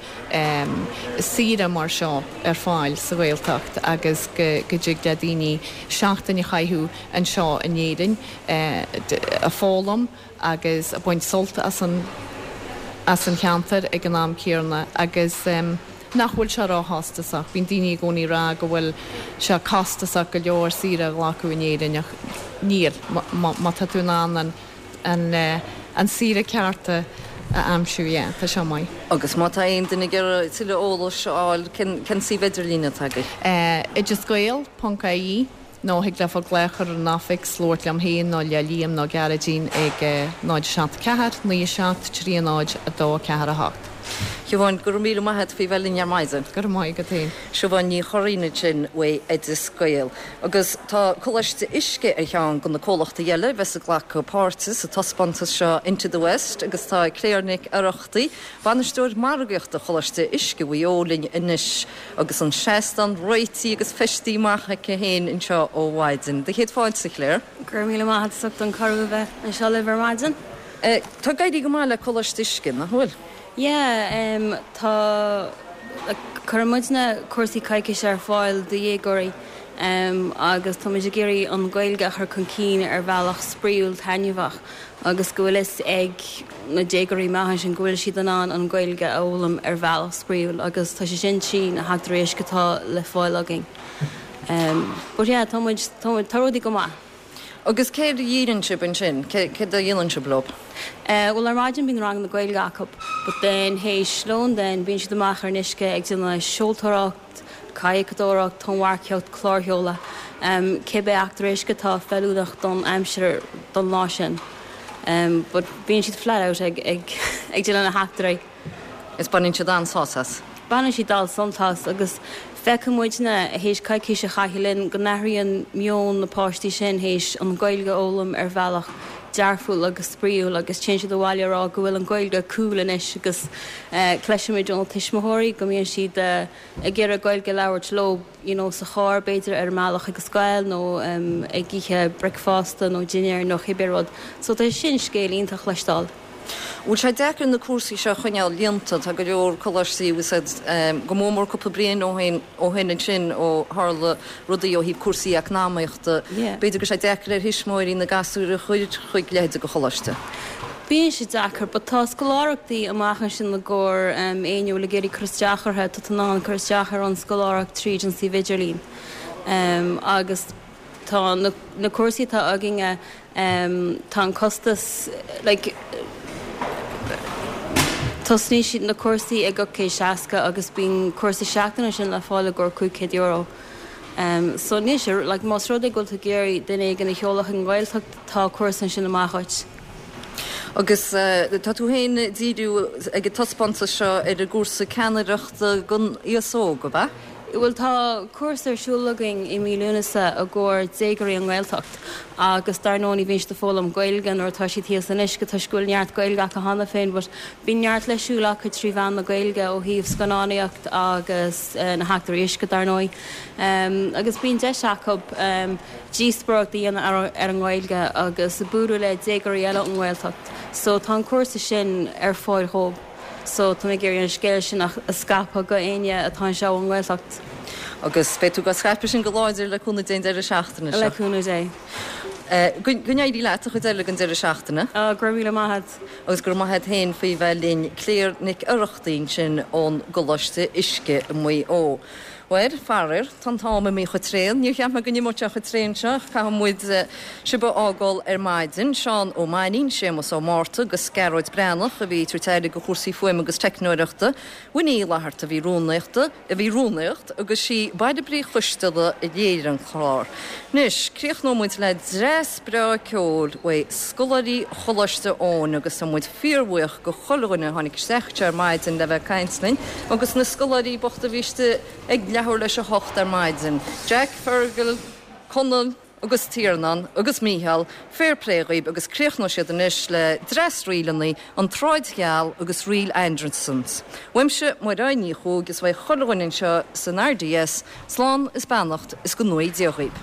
saoire mar seo ar fáil sa Ghaeltacht agus go dtig le daoine seachtain a chaitheamh anseo in Éirinn. ag foghlaim agus ag baint sult as an as an cheantar ag an am céanna agus nach bhfuil sé róchostasach. Bíonn daoine i gcónaí ag rá go bhfuil sé costasach go leor saoire a ghlacadh in Éirinn ach níl, má tá tú in ann an an an saoire ceart a aimsiú, yeah, tá sé maith. Agus má tá aon duine ag iarraidh tuilleadh eolais a fháil, cén cén suíomh idirlín atá agaibh? Oideasgael ponc ie. Nó thig leofa glaoch ar an oifig 's labhairt liom féin nó le Liam nó Gearóidín ag 0 7 4 9 7 3 0 2 4 8. Siobhán, go raibh míle maith a't faoi bheith linn ar maidin. Go raibh maith agat féin. Siobhán Ní Churraoin ansin uaidh Oideas Gael. Agus tá Coláiste Uisce ar cheann de na comhlachtaí eile a bheas ag glacadh páirte sa taispeántas seo Into the West agus tá Claire Nic Oireachtaigh, Bainisteoir Margaíochta Choláiste Uisce Mhaigh Eo linn anois. Agus an seastán réitithe agus feistithe amach aici féin anseo ó mhaidin. Do chéad fáilte, a Claire. Go raibh míle maith agat as ucht an cuireadh a bheith anseo libh ar maidin. Tá ag éirí go maith le Coláiste Uisce, nach bhfuil? Yeah, tá, like, cuireann muidne cúrsaí coicíse ar fáil do dhéagóirí agus tá muid ag iarraidh an Ghaeilge a chur chun cinn ar bhealach spraíúil taitneamhach. agus go bhfuil fhios ag na déagóirí amach ansin go bhfuil siad in ann an Ghaeilge a fhoghlaim ar bhealach spraíúil agus tá sé sin trí na heachtraí uisce atá le fáil againn. But yeah, tá muid, tá muid, tá rudaí go maith. Agus céard a dhíríonn sibh ansin? Céard a dhéanann sibh leo? Bhuel ar maidin bíonn ranganna Gaeilge acu but then théis lóin then bíonn siad amach ar an uisce ag déanamh seoltóireacht, cadhcadóireacht, tonnmharcaíocht, clársheoladh, cibé eachtra uisce atá feiliúnach don aimsir don lá sin. But bíonn siad flat out ag ag ag déanamh na heachtraí. Is baineann siad an-sult as. Baineann siad an-sult as agus feiceann muidne, théis coicís a chaitheamh linn, go n-athraíonn meon na páistí sin théis an Ghaeilge a fhoghlaim ar bhealach dearfúil agus spraíúil agus téann siad abhaile ag rá go bhfuil an Ghaeilge cool anois agus Cloisimid ó na tuismitheoirí go mbíonn siad ag iarraidh Gaeilge a labhairt leo you know sa charr b'fhéidir ar an mbealach chuig an scoil nó ag ithe bricfeasta nó dinnéar nó cibé rud. So tá sin scéal iontach a chloisteáil. Bhfuil sé deacair na cúrsaí seo a choinneáil líonta? Tá go leor coláistí agus iad go mór mór cúpla bliain ó shin ó shin ansin ó tharla rudaí ó thaobh cúrsaí eacnamaíochta. B'fhéidir go bhfuil sé deacair ar thuismitheoirí na gasúir a chur chuig leithéid de choláiste. Bíonn sé deacair, but tá scoláireachtaí amach ansin i gcomhair éinne a bhfuil ag iarraidh cur isteach orthu, tá tú in ann cur isteach ar an scoláireacht tríd an suíomh idirlín. Agus tá na cúrsaí atá againne, tá an costas, like, tosnaíonn siad na cúrsaí ag 860 agus bíonn cúrsa seachtaine ansin le fáil i gcomhair €500. So níl sé, like, más rud é go bhfuil tú ag iarraidh duine éigin a sheoladh chuig an Ghaeltacht, tá cúrsa ansin amach dhuit. Agus tá tú féin ag díriú ag an taispeántas seo ar an gcúrsa ceannaireachta don aos óg, ab ea? Bhuel tá cúrsa ar siúl againn i mí Lúnasa i gcomhair déagóirí ón nGaeltacht agus dar ndóigh ní bhíonn siad ag foghlaim Gaeilge nuair atá siad thíos san uisce toisc go bhfuil neart Gaeilge acu cheana féin but bíonn neart le siúl acu trí mheán na Gaeilge ó thaobh scannánaíocht agus na heachtraí uisce dar ndóigh agus bíonn deis acu díospóireacht a dhéanamh ar an nGaeilge agus bualadh le déagóirí eile ón nGaeltacht. So tá an cúrsa sin ar fáil dhóibh. So tá mé ag iarraidh an scéal sin a scaipeadh go éinne atá anseo ón nGaeltacht. Agus beidh tú á scaipeadh sin go láidir le cúnamh Dé an deireadh seachtaine seo. Le cúnamh Dé. Go n-éirí leat an chuid eile den deireadh seachtaine. Go raibh míle maith a't. Agus go raibh maith a't féin faoi bheith linn. Claire Nic Oireachtaigh ansin ón gColáiste Uisce i Maigh Eo. Bhuel, faraor, tá an t-am imithe chomh tréan. Níor cheap mé go n-imeodh sé chomh tréan seo ach caithfidh muid sibh a fhágáil ar maidin. Seán Ó Mainnín, Séamus Ó Márta agus Gearóid Breathnach a bhí ag tabhairt aire do chúrsaí fuaime agus teicneoireachta. Winnie Uí Fhlatharta a bhí rúnaíochta, a bhí rúnaíocht agus sí Bairbre Uí Choisteala a léirigh an clár. Anois, críochnóidh muid le dreas breá ceoil uaidh scoláirí Choláiste Eoin agus tá muid fíorbhuíoch go chuile dhuine a tháinig isteach anseo ar maidin le bheith ag caint linn agus na scoláirí bochta a bhí istigh ag leathuair leis a hocht ar maidin, Jack, Fergal, Conall, agus Tiarnán agus Mícheál, fair play dhaoib agus críochnóidh siad anois le dreas ríleanna, An tSráid Gheal agus Ríl Andersons. Uaimse, Mairéad Ní Chuaig is uaidh chuile dhuine anseo san RDS, slán is beannacht is go ngnóthaí Dia dhaoib.